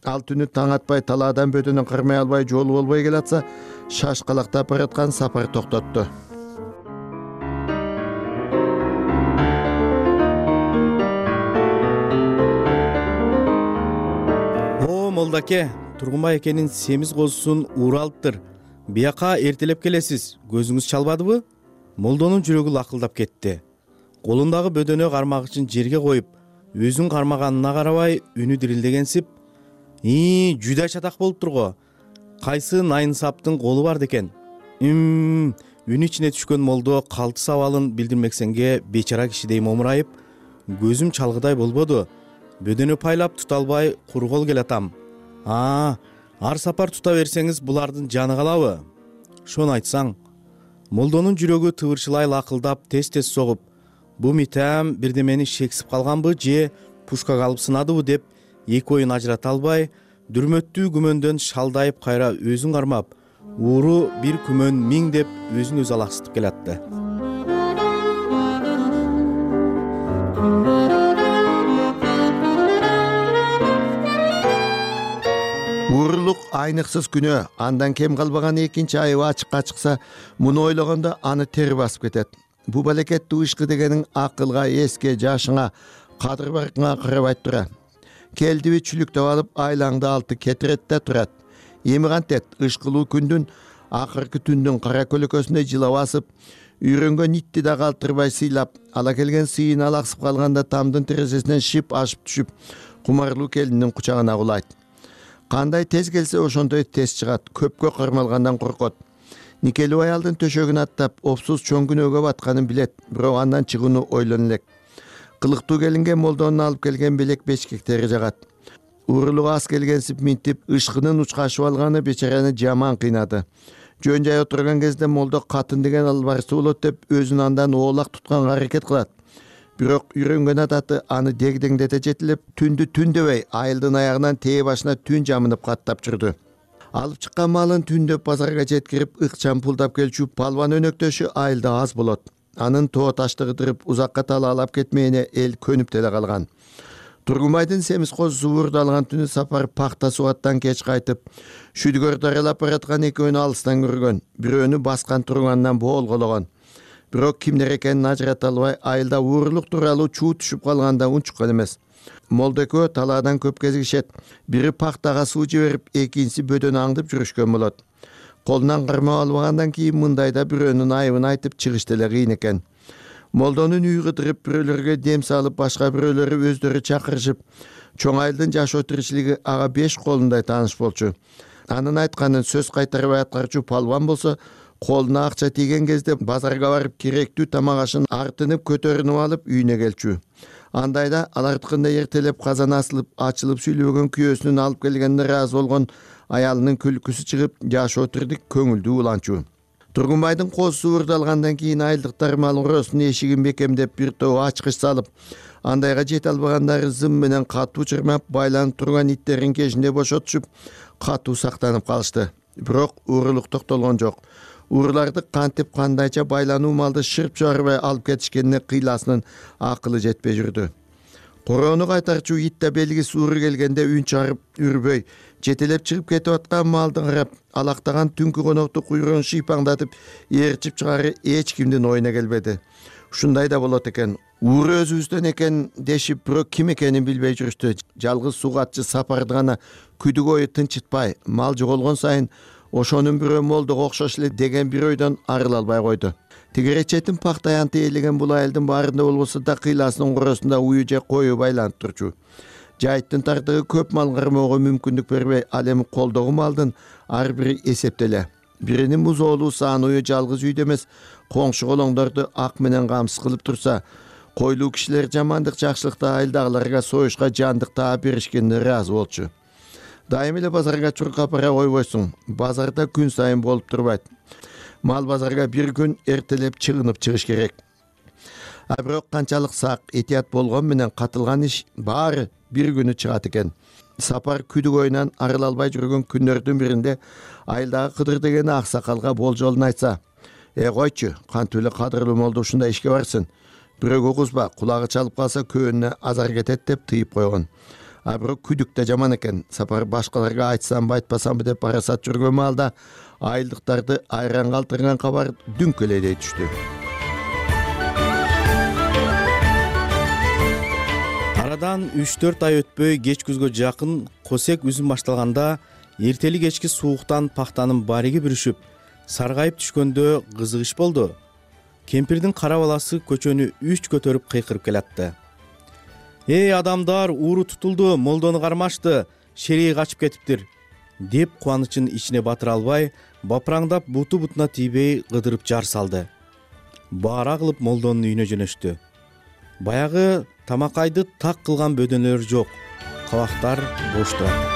Ал түнү таң атпай талаадан бөдөнө кармай албай жолу болбой келатса, шашкалактап бараткан сапар токтотту. Молдаке, Тургунбай экенин семиз коозусун ууралыптыр. Бияка эртелеп келесиз, көзүңүз чалбадыбы? Молдонун жүрөгү лакылдап кетти. Колундагы бөдөнө кармагычын жерге коюп, өзүн кармаганына карабай, үнү дирилдегенсип, «И, жүдө чатак болуптур го. Кайсы найын саптын колу бар декен?» Үм, үн ичине түшкөн молдо калтыс абалын билдирмексенге бечара кишидей момурайып, «Көзүм чалгыдай болбоду. Бөдөнө пайлап тута албай кургол келатам. А, ар сапар тута берсеңиз булардын жаны калабы?» Шону айтсаң. Молдонун жүрөгү тыбырчылай лакылдап, тез-тез согуп, бу митам бирдемени шексип калганбы же пушкага алып сынадыбы деп эки оюн ажырата албай, дүрмөттүү күмөндөн шалдайып кайра өзүн кармап, ууру бир күмөн миң деп өзүн өзү алаксытып келатты. Уурулук айныксыз күнөө, андан кем калбаган экинчи айыбы ачыкка чыкса, муну ойлогондо аны тери басып кетет. бул балекеттүү ышкы дегениң акылга, эске, жашыңа, кадыр баркыңа карабай тура. Келдиби чүлүктөп алып айлаңды алты кетирет да турат. Эми кантет ышкылуу күндүн акыркы түндүн кара көлөкөсүндөй жылап асып, үйрөнгөн итти да калтырбай сыйлап, ала келген сыйын алаксып калганда тамдын терезесинен шип ашып түшүп, кумарлуу келиндин кучагына кулайт. Кандай тез келсе ошондой тез чыгат, көпкө кармалгандан коркот. Никелүү аялдын төшөгүн аттап, опсуз чоң күнөөгө батканын билет, бирок андан чыгууну ойлону элек. Кылыктуу келинге молдонун алып келген белек бечкектери жагат. Уурулук ас келгенсип минтип, ышкынын учкашып алганы бечараны жаман кыйнады. Жөн жай отурган кезде молдо катын деген албарысы болот деп өзүн андан оолак тутканга аракет кылат. Бирок үйрөнгөн адаты аны дегдеңдете жетилеп, түндү түн дебей, айылдын аягынан тээ башына түн жамынып каттап жүрдү. Алып чыккан малын түндөп базарга жеткирип, ыкчам пулдап келчү палван өнөктөшү айылда аз болот. Анын тоо ташты кыдырып, узакка талаалап кетмегине эл көнүп деле калган. Тургунбайдын семиз козусу уурду алган түнү сапар пахта суаттан кеч кайтып, шүдгөрдү аралап бараткан экөөнү алыстан көргөн, бирөөнү баскан турганынан боолгологон. Бирок кимдер экенин ажырата албай, айылда уурулук тууралуу чуу түшүп калганда унчуккан эмес. Молдо экөө талаадан көп кезигишет. Бири пахтага суу жиберип, экинчиси бөдөнү аңдып жүрүшкөн болот. Колунан кармап албагандан кийин мындайда бирөөнүн айыбын айтып чыгыш деле кыйын экен. Молдонун үй кыдырып, бирөөлөргө дем салып, башка бирөөлөрү өздөрү чакырышып, чоң айылдын жашоо тиричилиги ага беш колундай тааныш болчу. Анын айтканын сөз кайтарбай аткарчу палван болсо, колуна акча тийген кезде базарга барып керектүү тамак ашын артынып көтөрүнүп алып үйүнө келчү. Андайда алардыкында эртелеп казан асылып, ачылып сүйлөгөн күйөөсүнүн алып келгенине ыраазы болгон аялынын күлкүсү чыгып, жашоо тирдик көңүлдүү уланчу. Тургунбайдын козусу уурду алгандан кийин айылдыктар мал уросунун эшигин бекемдеп, бир топ ачкыч салып, андайга жете албагандары зым менен катуу чырмап, байланып турган иттерин кежинде бошотушуп, катуу сактанып калышты. Бирок уурулук токтолгон жок. Ууруларды кантип кандайча байлануу малды шырп чыгарбай алып кетишкенине кыйласынын акылы жетпей жүрдү. Короону кайтарчу ит да белгисиз ууру келгенде үн чыгарып үрбөй, жетелеп чыгып кетип аткан малды карап, алактаган түнкү конокту куйругун шыйпаңдатып ээрчип чыгары эч кимдин оюна келбеди. Ушундай да болот экен. Ууру өзүбүздөн экен дешип, бирок ким экенин билбей жүрүштү. Жалгыз сугатчы сапарды гана күдүк ою тынчытпай, мал жоголгон сайын ошонун бирөө молдого окшош эле деген бир ойдон арыла албай койду. Тигеречеттин пахта аянты ээлеген бул айылдын баарында болбосо да кыйласынын коросунда ую же кою байланып турчу. Жайыттын тардыгы көп мал кармоого мүмкүндүк бербей, ал эми колдогу малдын ар бири эсептеле. Биринин музоолуу саан ую жалгыз үйдө эмес, коңшу колоңдорду ак менен камсыз кылып турса, койлуу кишилер жамандык жакшылыкта айылдагыларга союшка жандык таа беришкенине ыраазы болчу. Дайым эле базарга чуркап бара койбойсуң. Базарда күн сайын болуп турбайт. Мал базарга бир күн эртелеп чыгынып чыгыш керек. А бирок канчалык сак, этият болгон менен катылган иш баары бир күнү чыгат экен. Сапар күдүк оюнан арыла албай жүргөн күндөрдүн биринде айылдагы Кыдыр деген аксакалга болжолун айтса: "Э койчу, кантип эле кадырлуу молдо ушундай ишке барсын? Бирөөгө кузба, кулагы чалып калса көөнүнө азар кетет" деп тыйып койгон. А бирок күдүк да жаман экен. Сапар башкаларга айтсамбы, айтпасамбы деп парасат жүргөн маалда айылдыктарды айран калтырган кабар дүңкөлөйдей түштү. Арадан үч төрт ай өтпөй кеч күзгө жакын косек үзүм башталганда эртели кечки сууктан пахтанын бариги бүрүшүп, саргайып түшкөндө кызык иш болду. Кемпирдин кара баласы көчөнү үч көтөрүп кыйкырып келатты. "Эй адамдар, ууру тутулду, молдону кармашты, шерей качып кетиптир" деп кубанычын ичине батыра албай, бапыраңдап буту бутуна тийбей кыдырып жар салды. Баара кылып молдонун үйүнө жөнөштү. Баягы тамакайды так кылган бөдөнөлөр жок, кабактар бош турат.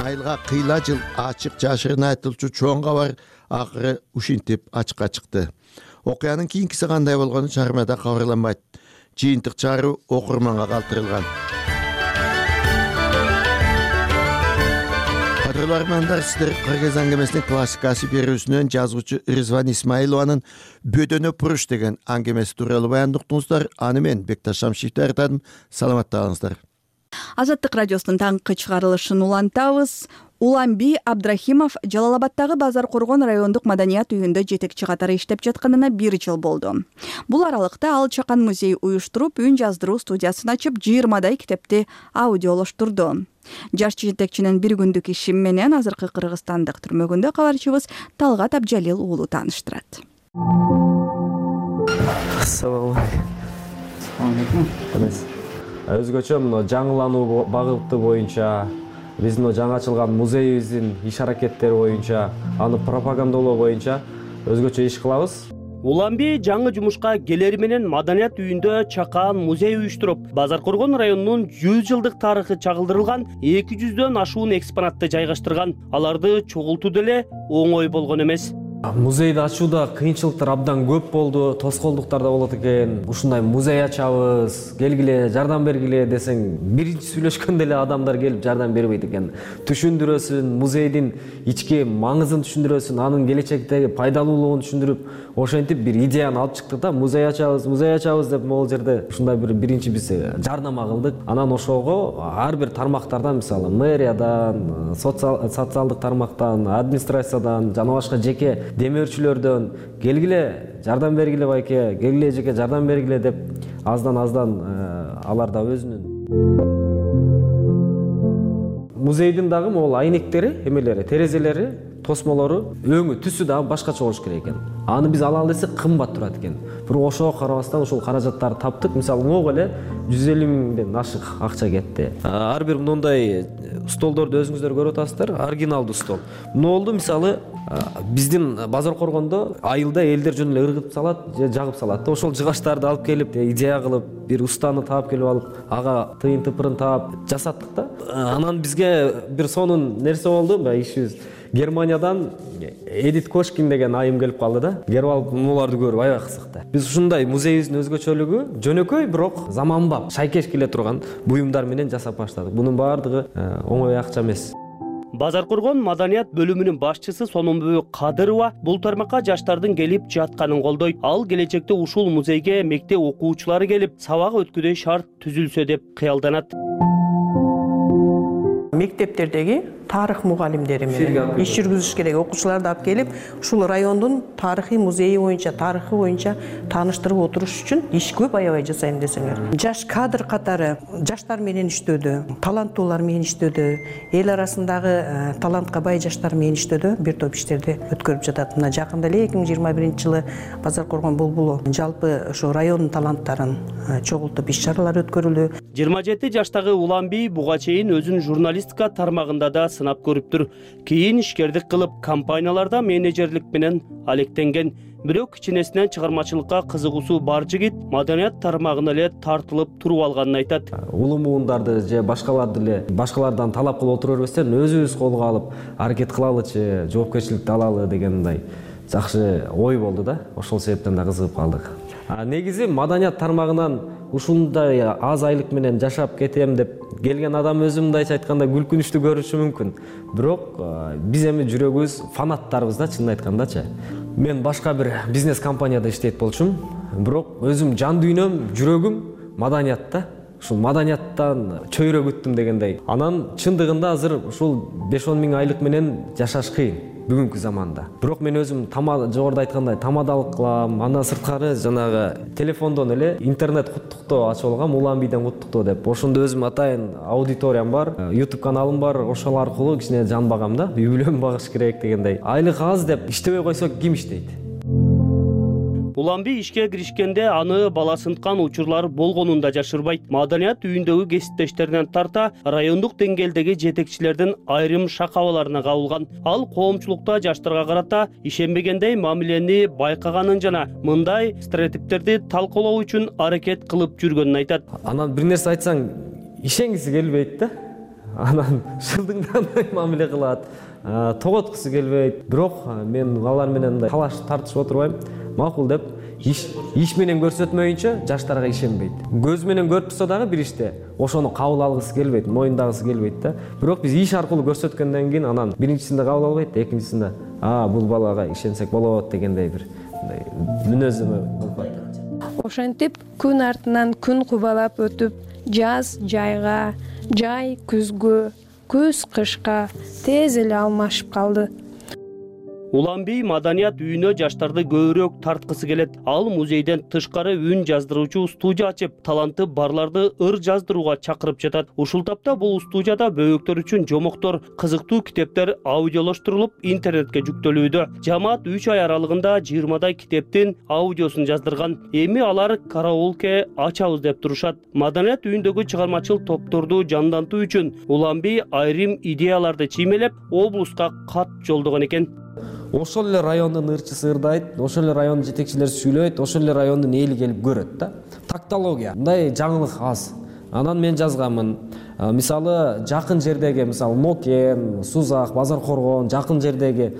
Айылга кыйла жыл ачык жашырын айтылчу чоң кабар акыры ушинтип ачыкка чыкты. Окуянын кийинкиси кандай болгону чыгармада кабарланбайт. Жыйынтык чыгаруу окурманга калтырылган. Кадырлуу армандар, сиздер Кыргыз аңгемесинин классикасы берүүсүнөн жазуучу Ризван Исмаилованын "Бөдөнө буруш" деген аңгемеси тууралуу баяндыктыңыздар. Аны мен Бекташ Шамшиев даярдадым. Саламатта калыңыздар. Азаттык радиосунун таңкы чыгарылышын улантабыз. Уламби Абдрахимов Жалал Абаддагы Базар Коргон райондук маданият үйүндө жетекчи катары иштеп жатканына бир жыл болду. Бул аралыкта ал Чакан музей уюштуруп, үн жаздыруу студиясын ачып, жыйырмадай китепти аудиолоштурду. Жаш жетекчинин бир күндүк иши менен азыркы кыргызстандык түрмөгүндө кабарчыбыз Талгат Абжалил уулу тааныштырат. Assalamu alaikum. Өзгөчө мына жаңылануу багыты боюнча биздин жаңы ачылган музейибиздин иш аракеттери боюнча, аны пропагандалоо боюнча өзгөчө иш кылабыз. Уламби жаңы жумушка келери менен маданият үйүндө Чакан музей уюштуруп, Базар Коргон районунун жүз жылдык тарыхы чагылдырылган эки жүздөн ашуун экспонатты жайгаштырган. Аларды чогултуу деле оңой болгон эмес. Музейди ачууда кыйынчылыктар абдан көп болду, тоскоолдуктар да болот экен. Ушундай музей ачабыз, келгиле, жардам бергиле десең, биринчи сүйлөшкөндө эле адамдар келип жардам бербейт экен. Түшүндүрөсүн, музейдин ички маңызын түшүндүрөсүн, анын келечектеги пайдалуулугун түшүндүрүп, ошентип бир идеяны алып чыктык да, музей ачабыз, музей ачабыз деп могул жерде ушундай бир биринчи биз жардама кылдык. Анан ошого ар бир тармактардан, мисалы, мэриядан, социалдык тармактан, администрациядан жана башка жеке демөөрчүлөрдөн келгиле, жардам бергиле байке, келгиле жеке жардам бергиле деп аздан аздан алар да өзүнүн музейдин дагы могул айнектери, эмелери, терезелери, тосмолору, өңү, түсү дагы башкача болуш керек экен. Аны биз алалы десек кымбат турат экен. Бирок ошого карабастан ушул каражаттарды таптык. Мисалы, могу эле жүз элүү миңден ашык акча кетти. Ар бир мындай столдорду өзүңүздөр көрүп атасыздар, оригиналдуу стол. Эмне болду? Мисалы, биздин Базар Коргондо айылда элдер жөн эле ыргытып салат, же жагып салат. Ошол жыгачтарды алып келип, идея кылып, бир устаны таап келип алып, ага тыйын тыпырын таап жасаттык да. Анан бизге бир сонун нерсе болду, ишибиз. Германиядан Эдит Кошкин деген айым келип калды да. Келип алып муларды көрүп аябай кызыкты. Биз ушундай музейибиздин өзгөчөлүгү жөнөкөй, бирок заманбап, шайкеш келе турган буюмдар менен жасап баштадык. Бунун баардыгы оңой акча эмес. Базар Коргон маданият бөлүмүнүн башчысы Сономбү Кадырова бул тармакка жаштардын келип жатканын колдойт. Ал келечекте ушул музейге мектеп окуучулары келип, сабак өткүдөй шарт түзүлсө деп кыялданат. Мектептердеги тарых мугалимдери менен иш жүргүзүш керек. Окуучуларды алып келип, ушул райондун тарыхый музейи боюнча, тарыхы боюнча тааныштырып отуруш үчүн иш көп аябай жасайм десеңер. Жаш кадр катары жаштар менен иштөөдө, таланттуулар менен иштөөдө, эл арасындагы талантка бай жаштар менен иштөөдө бир топ иштерди өткөрүп жатат. Мына жакында эле эки миң жыйырма биринчи жылы Базар Коргон булбулу жалпы ошо райондун таланттарын чогултуп иш чаралар өткөрүлдү. жыйырма жети жаштагы Уламби буга чейин өзүн журналистика тармагында да сынап көрүптүр. Кийин ишкердик кылып, компанияларда менеджерлик менен алектенген. Бирок кичинесинен чыгармачылыкка кызыгуусу бар жигит маданият тармагына эле тартылып туруп алганын айтат. Улуу муундарды же башкаларды эле башкалардан талап кылып отура бербестен өзүбүз колго алып, аракет кылалычы, жоопкерчиликти алалы деген мындай жакшы ой болду да. Ошол себептен да кызыгып калдык. Негизи маданият тармагынан ушундай аз айлык менен жашап кетем деп келген адам өзү мындайча айтканда күлкүнүчтүү көрүнүшү мүмкүн. Бирок биз эми жүрөгүбүз фанаттарбыз да, чынын айткандачы. Мен башка бир бизнес компанияда иштейт болчумун, бирок өзүм жан дүйнөм, жүрөгүм маданиятта. Ушул маданияттан чөйрө күттүм дегендей. Анан чындыгында азыр ушул беш он миң айлык менен жашаш кыйын бүгүнкү заманда. Бирок мен өзүм жогоруда айткандай тамадалык кылам, андан сырткары жанагы телефондон эле интернет куттуктоо ачып алгам, Уламбиден куттуктоо деп. Ошондо өзүм атайын аудиториям бар, YouTube каналым бар, ошол аркылуу кичине жан багам да, үй бүлөм багыш керек дегендей. Айлык аз деп иштебей койсо ким иштейт? Уламби ишке киришкенде аны бала сынткан учурлар болгонун да жашырбайт. Маданият үйүндөгү кесиптештеринен тарта райондук деңгээлдеги жетекчилердин айрым шакабаларына кабылган. Ал коомчулукта жаштарга карата ишенбегендей мамилени байкаганын жана мындай стереотиптерди талкуулоо үчүн аракет кылып жүргөнүн айтат. Анан бир нерсе айтсаң ишенгиси келбейт да. Анан шылдыңдандай мамиле кылат, тоготкусу келбейт. Бирок мен алар менен мындай талаш тартышып отурбайм. Макул деп иш иш менен көрсөтмөйүнчө жаштарга ишенбейт. Көз менен көрүп турса дагы бир иште ошону кабыл алгысы келбейт, мойындагысы келбейт да. Бирок биз иш аркылуу көрсөткөндөн кийин анан биринчисинде кабыл албайт, экинчисинде а бул балага ишенсек болот дегендей бир мындай мүнөздөмө болот. Ошентип күн артынан күн кубалап өтүп, жаз жайга, жай күзгө, күз кышка тез эле алмашып калды. Уланбей маданият үйүнө жаштарды көбүрөөк тарткысы келет. Ал музейден тышкары үн жаздыруучу студия ачып, таланты барларды ыр жаздырууга чакырып жатат. Ушул тапта бул студияда бөбөктөр үчүн жомоктор, кызыктуу китептер аудиолоштурулуп интернетке жүктөлүүдө. Жамаат үч ай аралыгында жыйырмадай китептин аудиосун жаздырган. Эми алар караолке ачабыз деп турушат. Маданият үйүндөгү чыгармачыл топторду жандантуу үчүн Уланбей айрым идеяларды чиймелеп, облуска кат жолдогон экен. Ошол эле райондун ырчысы ырдайт, ошол эле райондун жетекчилери сүйлөйт, ошол эле райондун эли келип көрөт да. Тактология, мындай жаңылык аз. Анан мен жазганмын. Мисалы, жакын жердеги, мисалы, Нокен, Сузак, Базар Коргон, жакын жердеги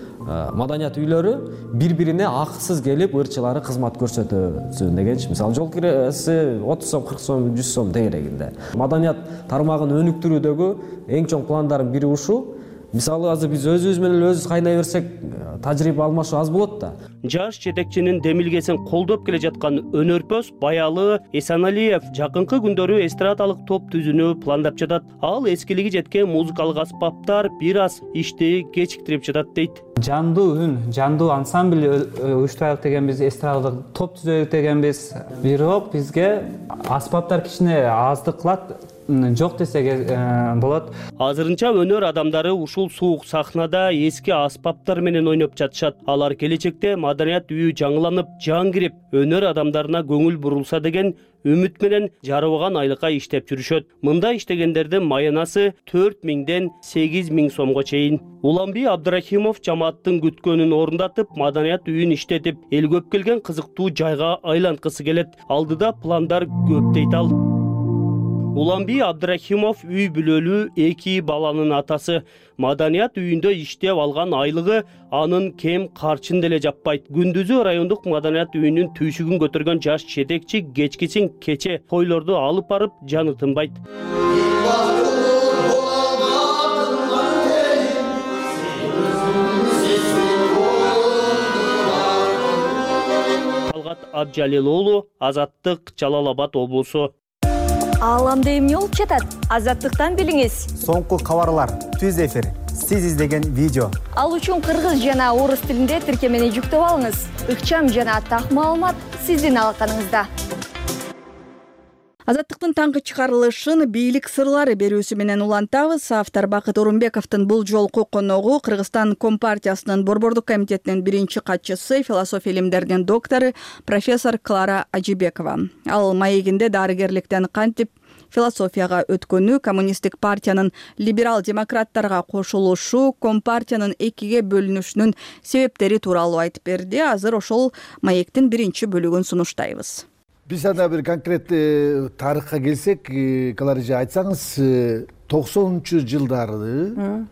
маданият үйлөрү бири-бирине акысыз келип ырчылары кызмат көрсөтөсүн дегенчи. Мисалы, жол киреси отуз сом, кырк сом, жүз сом дегерегинде. Маданият тармагын өнүктүрүүдөгү эң чоң пландардын бири ушул. Мисалы, азыр биз өзүбүз менен өзүбүз кайнай берсек, тажрыйба алмашуу аз болот да. Жаш жетекчинин демилгесин колдоп келе жаткан өнөрпөз Баялы Эсаналиев жакынкы күндөрү эстрадалык топ түзүүнү пландап жатат. Ал эскилиги жеткен музыкалык аспаптар бир аз ишти кечиктирип жатат дейт. Жандуу үн, жандуу ансамбль уюштурайлык дегенбиз, эстрадалык топ түзөлүк дегенбиз. Бирок бизге аспаптар кичине аздык кылат. Жок десек болот. Азырынча өнөр адамдары ушул суук сахнада эски аспаптар менен ойноп жатышат. Алар келечекте маданият үйү жаңыланып, жан кирип, өнөр адамдарына көңүл бурулса деген үмүт менен жарыбаган айлыкка иштеп жүрүшөт. Мында иштегендердин маянасы төрт миңден сегиз миң сомго чейин. Уланбей Абдрахимов жамааттын күткөнүн орундатып, маданият үйүн иштетип, эл көп келген кызыктуу жайга айланткысы келет. Алдыда пландар көп дейт ал. Уланбей Абдрахимов үй бүлөлүү эки баланын атасы. Маданият үйүндө иштеп алган айлыгы анын кем карчын деле жаппайт. Күндүзү райондук маданият үйүнүн түйшүгүн көтөргөн жаш жетекчи кечкисин кече койлорду алып барып жаны тынбайт. Талгат Абжалил уулу, Азаттык, Жалал Абад облусу. Ааламда эмне болуп жатат? Азаттыктан билиңиз. Соңку кабарлар, түз эфир, сиз издеген видео. Ал үчүн кыргыз жана орус тилинде тиркемени жүктөп алыңыз. Ыкчам жана так маалымат сиздин алаканыңызда. Азаттыктын таңкы чыгарылышын бийлик сырлары берүүсү менен улантабыз. Автор Бакыт Орунбековдун бул жолку коногу Кыргызстан Компартиясынын Борбордук комитетинин биринчи катчысы, философия илимдеринин доктору профессор Клара Ажибекова. Ал маегинде дарыгерликтен кантип философияга өткөнү, коммунисттик партиянын либерал-демократтарга кошулушу, Компартиянын экиге бөлүнүшүнүн себептери тууралуу айтып берди. Азыр ошол маектин биринчи бөлүгүн сунуштайбыз. Биз анда бир конкреттүү тарыхка келсек, Кларыжа айтсаңыз, токсонунчу жылдары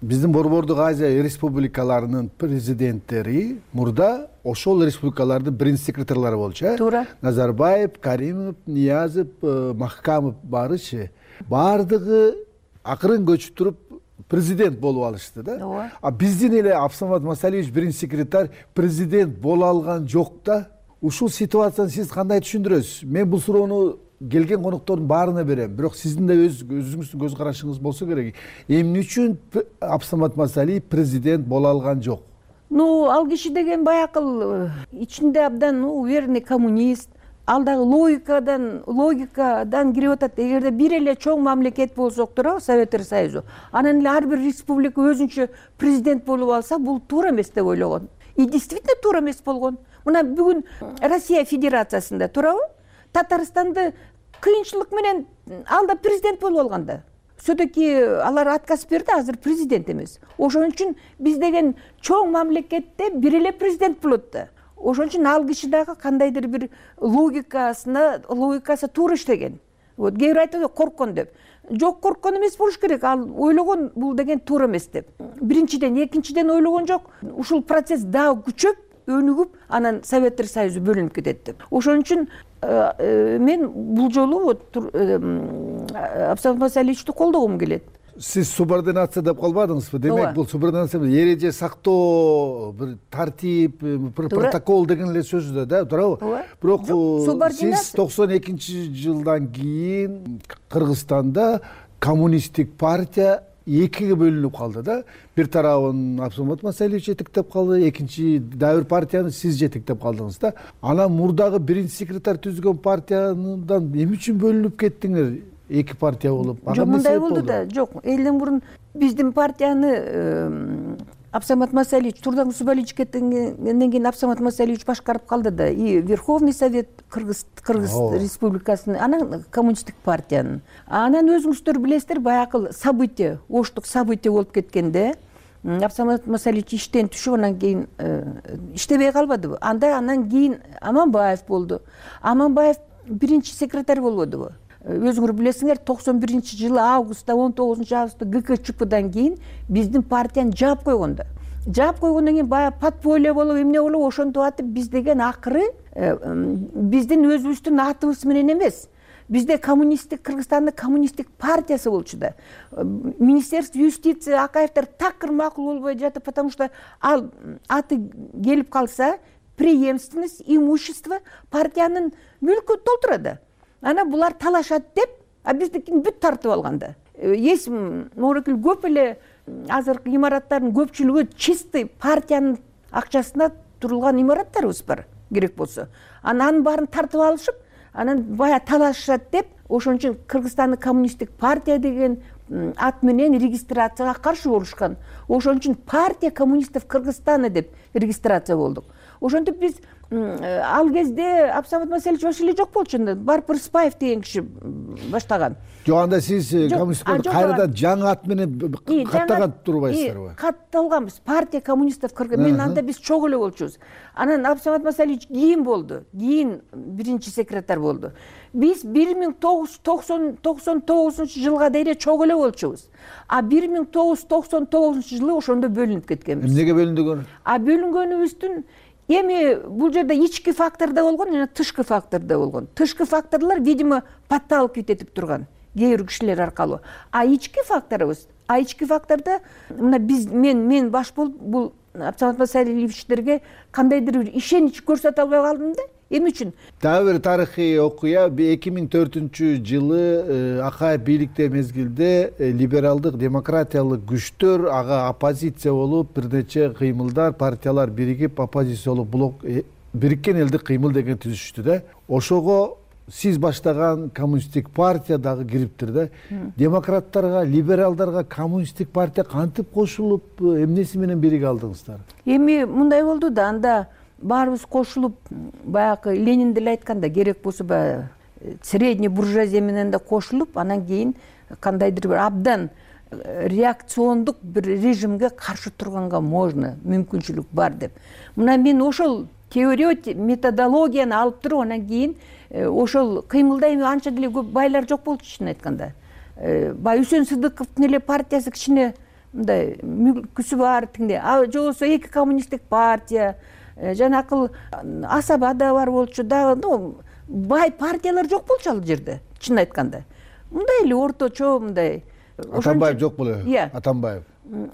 биздин Борбордук Азия республикаларынын президенттери мурда ошол республикалардын биринчи секретарлары болчу. Туура. Назарбаев, Каримов, Ниязов, Махкамов барычы. Бардыгы акырын көчүп туруп президент болуп алышты да. А биздин эле Абсамат Масалиевич биринчи секретарь президент боло алган жок да. Ушул ситуацияны сиз кандай түшүндүрөсүз? Мен бул суроону келген коноктордун баарына берем. Бирок сиздин да өз өзүңүздүн көз карашыңыз болсо керек. Эмне үчүн Абсамат Масалиев президент боло алган жок? Ну, ал киши деген баякыл ичинде абдан уверенный коммунист. Ал дагы логикадан, логикадан кирип атат. Эгерде бир эле чоң мамлекет болсок туурабы, Советтер Союзу, анан эле ар бир республика өзүнчө президент болуп алса, бул туура эмес деп ойлогон. И действительно туура эмес болгон. Мына бүгүн Россия Федерациясында туурабы? Татарстанды кыйынчылык менен алда президент болуп алган да. Все-таки алар отказ берди, азыр президент эмес. Ошон үчүн биз деген чоң мамлекетте бир эле президент болот да. Ошон үчүн ал киши дагы кандайдыр бир логикасына, логикасы туура иштеген. Вот кээ бир айтат корккон деп. Жок, корккон эмес болуш керек. Ал ойлогон бул деген туура эмес деп. Биринчиден, экинчиден ойлогон жок. Ушул процесс дагы күчөп, өнүгүп, анан Советтер Союзу бөлүнүп кетет деп. Ошон үчүн мен бул жолу вот Абсамат Масалиевичти колдогум келет. Сиз субординация деп калбадыңызбы? Демек бул субординация эреже сактоо, бир тартип, бир протокол деген эле сөз да, туурабы? Бирок сиз токсон экинчи жылдан кийин Кыргызстанда коммунисттик партия экиге бөлүнүп калды да. Бир тарабын Абсамат Масалиевич жетектеп калды, экинчи дагы бир партияны сиз жетектеп калдыңыз да. Анан мурдагы биринчи секретарь түзгөн партиядан эмне үчүн бөлүнүп кеттиңер? Эки партия болуп. Жок, мындай болду да. Жок, элден мурун биздин партияны Абсамат Масалиевич Турдан Усубалиевич кеткенден кийин Абсамат Масалиевич башкарып калды да. И Верховный Совет Кыргыз Кыргыз Республикасынын, анан коммунисттик партиянын. Анан өзүңүздөр билесиздер, баягы событие, оштук событие болуп кеткенде Абсамат Масалиевич иштен түшүп, анан кийин иштебей калбадыбы? Анда анан кийин Аманбаев болду. Аманбаев биринчи секретарь болбодубу? Өзүңөр билесиңер, токсон биринчи жылы августта, он тогузунчу августта ГКЧПдан кийин биздин партияны жаап койгон да. Жаап койгондон кийин баягы подполье болуп, эмне болуп, ошентип атып биз деген акыры биздин өзүбүздүн атыбыз менен эмес. Бизде коммунисттик, Кыргызстандын коммунисттик партиясы болчу да. Министерство юстиции Акаевдер такыр макул болбой жатып, потому что ал аты келип калса, преемственность, имущество партиянын мүлкү толтурат. Анан булар талашат деп, а биздикин бүт тартып алганда. Эс морекил көп эле азыркы имараттардын көпчүлүгү чистый партиянын акчасына турулган имараттарыбыз бар, керек болсо. Анан баарын тартып алышып, анан бая талашат деп, ошон үчүн Кыргызстандын коммунисттик партия деген ат менен регистрацияга каршы болушкан. Ошон үчүн партия коммунистов Кыргызстана деп регистрация болдук. Ошентип биз ал кезде Абсамат Масалиевич вообще эле жок болчу. Барып Рыспаев деген киши баштаган. Жок, анда сиз коммунисттик партия кайрадан жаңы ат менен каттаган турбайсыздарбы? Катталганбыз. Партия коммунистов Кыргыз. Мен анда биз чогуу эле болчубуз. Анан Абсамат Масалиевич кийин болду. Кийин биринчи секретарь болду. Биз бир миң тогуз жүз токсон тогузунчу жылга дейре чогуу эле болчубуз. А бир миң тогуз жүз токсон тогузунчу жылы ошондо бөлүнүп кеткенбиз. Эмнеге бөлүндүгөр? А бөлүнгөнүбүздүн эми бул жерде ички фактор да болгон, жана тышкы фактор да болгон. Тышкы факторлор, видимо, подталкивать этип турган кээ бир кишилер аркылуу. А ички факторубуз, а ички фактордо мына биз мен мен баш болуп бул Абсамат Масалиевичтерге кандайдыр бир ишенич көрсөтө албай калдым да. Эмне үчүн? Дагы бир тарыхый окуя, эки миң төртүнчү жылы Акаев бийликте мезгилде либералдык демократиялык күчтөр ага оппозиция болуп, бир нече кыймылдар, партиялар биригип оппозиция болуп, блок бириккен элдик кыймыл деген түзүштү да. Ошого сиз баштаган коммунисттик партия дагы кириптир да. Демократтарга, либералдарга коммунисттик партия кантип кошулуп, эмнеси менен бириге алдыңыздар? Эми мындай болду да, анда баарыбыз кошулуп, баягы Ленин деле айтканда, керек болсо баягы средний буржуазия менен да кошулуп, анан кийин кандайдыр бир абдан реакциондук бир режимге каршы турганга можно, мүмкүнчүлүк бар деп. Мына мен ошол теория, методологияны алып туруп, анан кийин ошол кыймылда эми анча деле көп байлар жок болчу, чын айтканда. Бай Үсөн Сыдыковдун эле партиясы кичине мындай мүлкүсү бар тигинде. А жолсо эки коммунисттик партия, жанакыл Асаба да бар болчу да, ну, бай партиялар жок болчу ал жерде, чын айтканда. Мындай эле орточо мындай. Атамбаев жок боло. Иә. Атамбаев.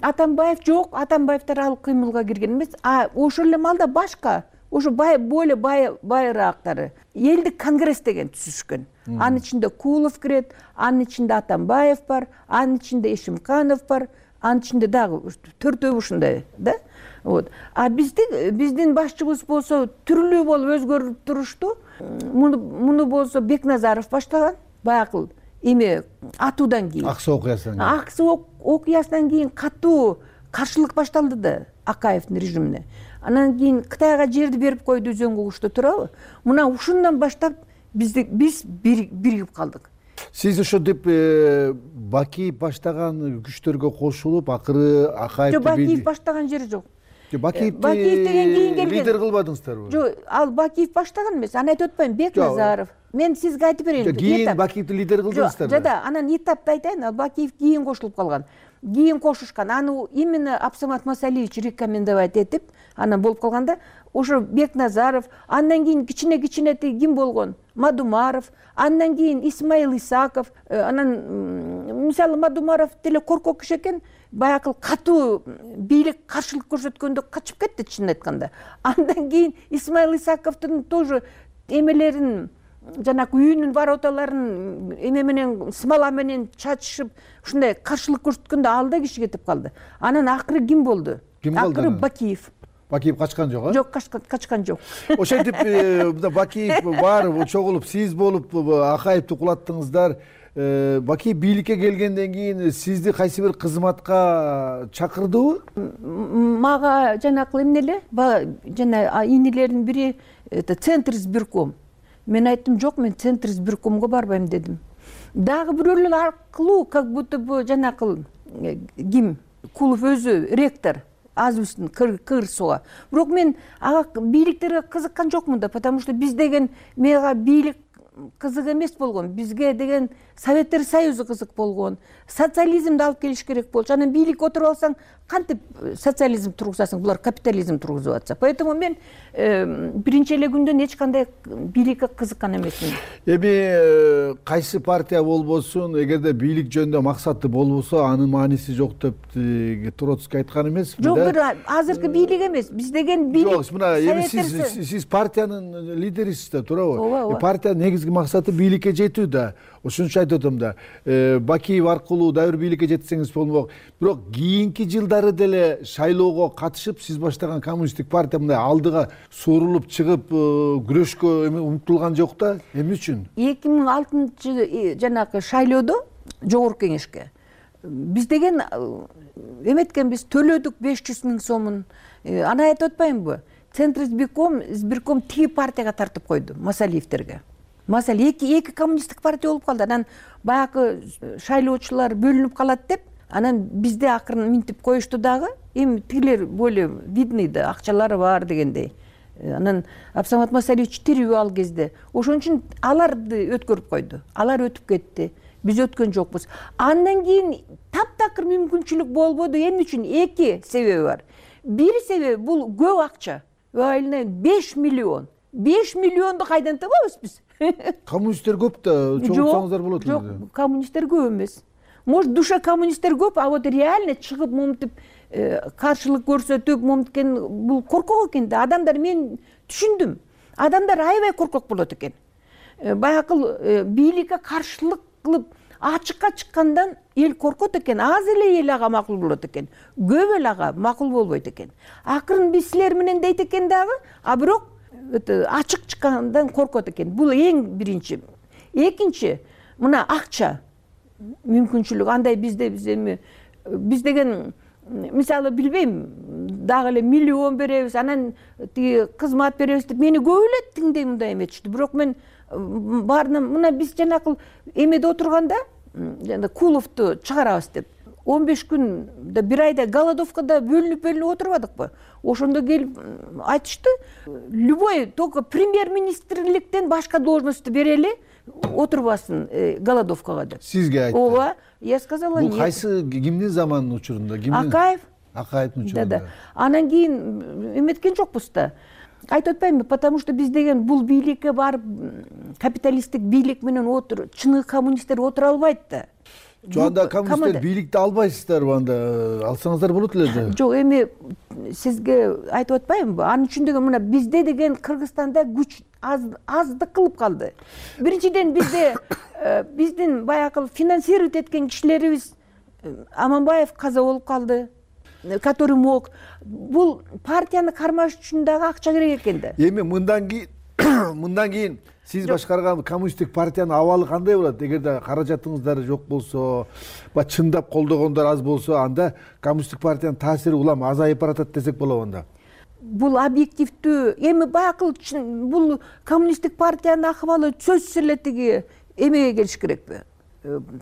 Атамбаев жок, Атамбаевдер ал кыймылга кирген эмес. А ошол эле маалда башка, ошо бай более бай байраактары элдик конгресс деген түзүшкөн. Анын ичинде Кулов кирет, анын ичинде Атамбаев бар, анын ичинде Эшимканов бар, анын ичинде дагы төртөө ушундай да. Вот. А биздин биздин башчыбыз болсо түрлүү болуп өзгөрүп турушту. Муну муну болсо Бекназаров баштаган. Баягы эме атуудан кийин. Аксы окуясынан кийин. Аксы окуясынан кийин катуу каршылык башталды да Акаевдин режимине. Анан кийин Кытайга жерди берип койду Үзөн кугушта, туурабы? Мына ушундан баштап бизди биз биригип калдык. Сиз ошентип Бакиев баштаган күчтөргө кошулуп, акыры Акаевди Бакиев баштаган жери жок. Бакиевди деген кийин келген. Лидер кылбадыңыздарбы? Жок, ал Бакиев баштаган эмес. Аны айтып атпайм, Бекназаров. Мен сизге айтып берейин. Кийин Бакиевди лидер кылдыңыздарбы? Жок, жада, анан этапта айтайын, ал Бакиев кийин кошулуп калган. Кийин кошушкан. Аны именно Абсамат Масалиевич рекомендовать этип, анан болуп калганда, ошо Бекназаров, андан кийин кичине-кичине ким болгон? Мадумаров, андан кийин Исмаил Исаков, анан мисалы Мадумаров деле коркок киши экен, баягы катуу бийлик каршылык көрсөткөндө качып кетти, чын айтканда. Андан кийин Исмаил Исаковдун тоже эмелерин жанагы үйүнүн вороталарын эме менен смола менен чачышып ушундай каршылык көрсөткөндө ал да киши кетип калды. Анан акыры ким болду? Ким болду? Акыры Бакиев. Бакиев качкан жок, а? Жок, качкан жок. Ошентип Бакиев барып, чогулуп, сиз болуп Акаевди кулаттыңыздар. Бакиев бийликке келгенден кийин сизди кайсы бир кызматка чакырдыбы? Мага жанакы эмне эле, жана инилердин бири Центр избирком. Мен айттым, жок, мен Центр избиркомго барбайм дедим. Дагы бирөөлөр аркылуу, как будто бу жанакы ким? Кулов өзү ректор. Азыбыздын кырсуга. Бирок мен ага бийликтерге кызыккан жокмун да, потому что биз деген мага бийлик кызык эмес болгон. Бизге деген Советтер Союзу кызык болгон. Социализмди алып келиш керек болчу. Анан бийлик отуруп алсаң, кантип социализм тургузасың? Булар капитализм тургузуп атса. Поэтому мен биринчи эле күндөн эч кандай бийликке кызыккан эмесмин. Эми кайсы партия болбосун, эгерде бийлик жөнүндө максаты болбосо, анын мааниси жок деп Троцкий айткан эмеспи? Жок, бир азыркы бийлик эмес. Биз деген бийлик. Жок, мына эми сиз сиз партиянын лидерисиз да, туурабы? Партиянын негизги максаты бийликке жетүү да. Ошон үчүн айтып атам да, Бакиев аркылуу дагы бир бийликке жетсеңиз болмок. Бирок кийинки жылдары деле шайлоого катышып, сиз баштаган коммунисттик партия мындай алдыга суурулуп чыгып, күрөшкө умтулган жок да. Эмне үчүн? эки миң алтынчы жанагы шайлоодо жогорку кеңешке биз деген эметкенбиз, төлөдүк беш жүз миң сомун. Аны айтып атпаймынбы? Центр избирком, избирком тиги партияга тартып койду, Масалиевтерге. Масал эки эки коммунисттик партия болуп калды. Анан баягы шайлоочулар бөлүнүп калат деп, анан бизде акырын минтип коюшту дагы. Эми тигилер более видный да, акчалары бар дегендей. Анан Абсамат Масалиевич тирүү ал кезде. Ошон үчүн аларды өткөрүп койду. Алар өтүп кетти. Биз өткөн жокпуз. Андан кийин таптакыр мүмкүнчүлүк болбоду. Эмне үчүн? Эки себеби бар. Бир себеби бул көп акча. Айына беш миллион. беш миллионду кайдан табабыз биз? Коммунисттер көп да, чогулсаңыздар болот эле. Жок, коммунисттер көп эмес. Может, душа коммунисттер көп, а вот реально чыгып момтип каршылык көрсөтүп, момткен бул коркок экен да. Адамдар, мен түшүндүм. Адамдар аябай коркок болот экен. Баягы бийликке каршылык кылып ачыкка чыккандан эл коркот экен. Аз эле эл ага макул болот экен. Көп эл ага макул болбойт экен. Акырын биз силер менен дейт экен дагы, а бирок ачык чыккандан коркот экен. Бул эң биринчи. Экинчи, мына акча мүмкүнчүлүк. Андай бизде биз эми биз деген мисалы билбейм, дагы эле миллион беребиз, анан тиги кызмат беребиз деп мени көп эле тиңдей мындай эметишти. Бирок мен баарына мына биз жанакы эмеде отурганда, жана Куловду чыгарабыз деп он беш күндө бир айда голодовкада бөлүнүп бөлүнүп отурбадыкпы? Ошондо келип айтышты, любой только премьер-министрликтен башка должностьту берели, отурбасын голодовкага деп. Сизге айтты. Ооба, я сказала нет. Бул кайсы кимдин заманынын учурунда? Акаев. Акаевдин учурунда. Анан кийин эметкен жокпуз да. Айтып атпаймынбы, потому что биз деген бул бийликке барып капиталисттик бийлик менен отур, чыныгы коммунисттер отура албайт да. Жонда коммунисттер бийликти албайсыздарбы, анда алсаңыздар болот эле да. Жок, эми сизге айтып атпаймынбы? Анын үчүн деген мына бизде деген Кыргызстанда күч аздык кылып калды. Биринчиден бизде биздин баягы финансировать эткен кишилерибиз Аманбаев каза болуп калды, который мог. Бул партияны кармаш үчүн дагы акча керек экен да. Эми мындан кийин мындан кийин сиз башкарган коммунисттик партиянын абалы кандай болот? Эгерде каражатыңыздар жок болсо, ба чындап колдогондор аз болсо, анда коммунисттик партиянын таасири улам азайып баратат десек болобу анда? Бул объективдүү, эми баягы бул коммунисттик партиянын акыбалы сөзсүз эле тиги эмеге келиш керекпи?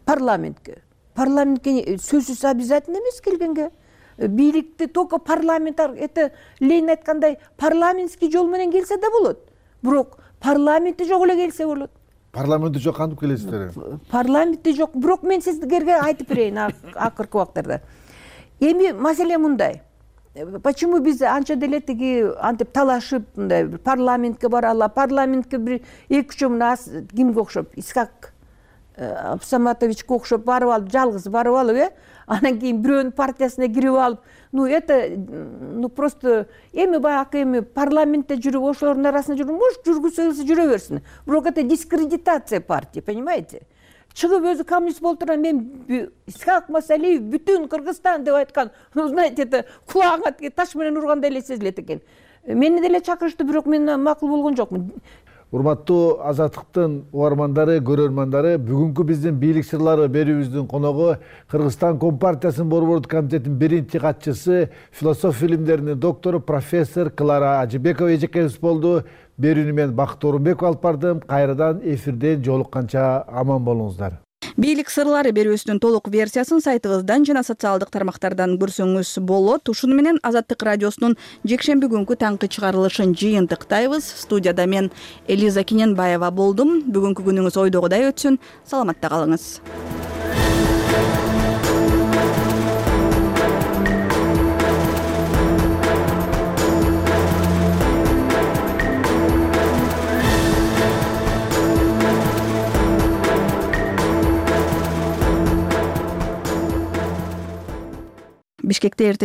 Парламентке. Парламентке сөзсүз обязательно эмес келгенге. Бийликти только парламент, это Ленин айткандай, парламентский жол менен келсе да болот. Бирок парламенти жок эле келсе болот. Парламенти жок кантип келесиздер? Парламенти жок. Бирок мен сизге айтып берейин акыркы убактарда. Эми маселе мындай. Почему биз анча деле тиги антип талашып мындай парламентке баралы, парламентке бир эки үчөө мына кимге окшоп, Исхак Абсаматовичке окшоп барып алып, жалгыз барып алып, э анан кийин бирөөнүн партиясына кирип алып, ну это ну просто эми баягы эми парламентте жүрүп, ошолордун арасында жүрүп, может жүргүзсө жүрө берсин. Бирок это дискредитация партии, понимаете? Чыгып өзү коммунист болуп турган мен Исхак Масалиев бүтүн Кыргызстан деп айткан, ну знаете, это кулагыңа таш менен ургандай эле сезилет экен. Мени деле чакырышты, бирок мен макул болгон жокмун. Урматтуу Азаттыктын угармандары, көрөрмандары, бүгүнкү биздин бийлик сырлары берүүбүздүн коногу Кыргызстан Компартиясынын борбордук комитетинин биринчи катчысы, философия илимдеринин доктору профессор Клара Ажибекова эжекебиз болду. Берүүнү мен Бакыт Орунбеков алып бардым. Кайрадан эфирден жолукканча аман болуңуздар. Бийлик сырлары берүүбүздүн толук версиясын сайтыбыздан жана социалдык тармактардан көрсөңүз болот. Ушуну менен Азаттык радиосунун жекшемби күнкү таңкы чыгарылышын жыйынтыктайбыз. Студияда мен Элиза Киненбаева болдум. Бүгүнкү күнүңүз ойдогудай өтсүн. Саламатта калыңыз. Бишкекте эртең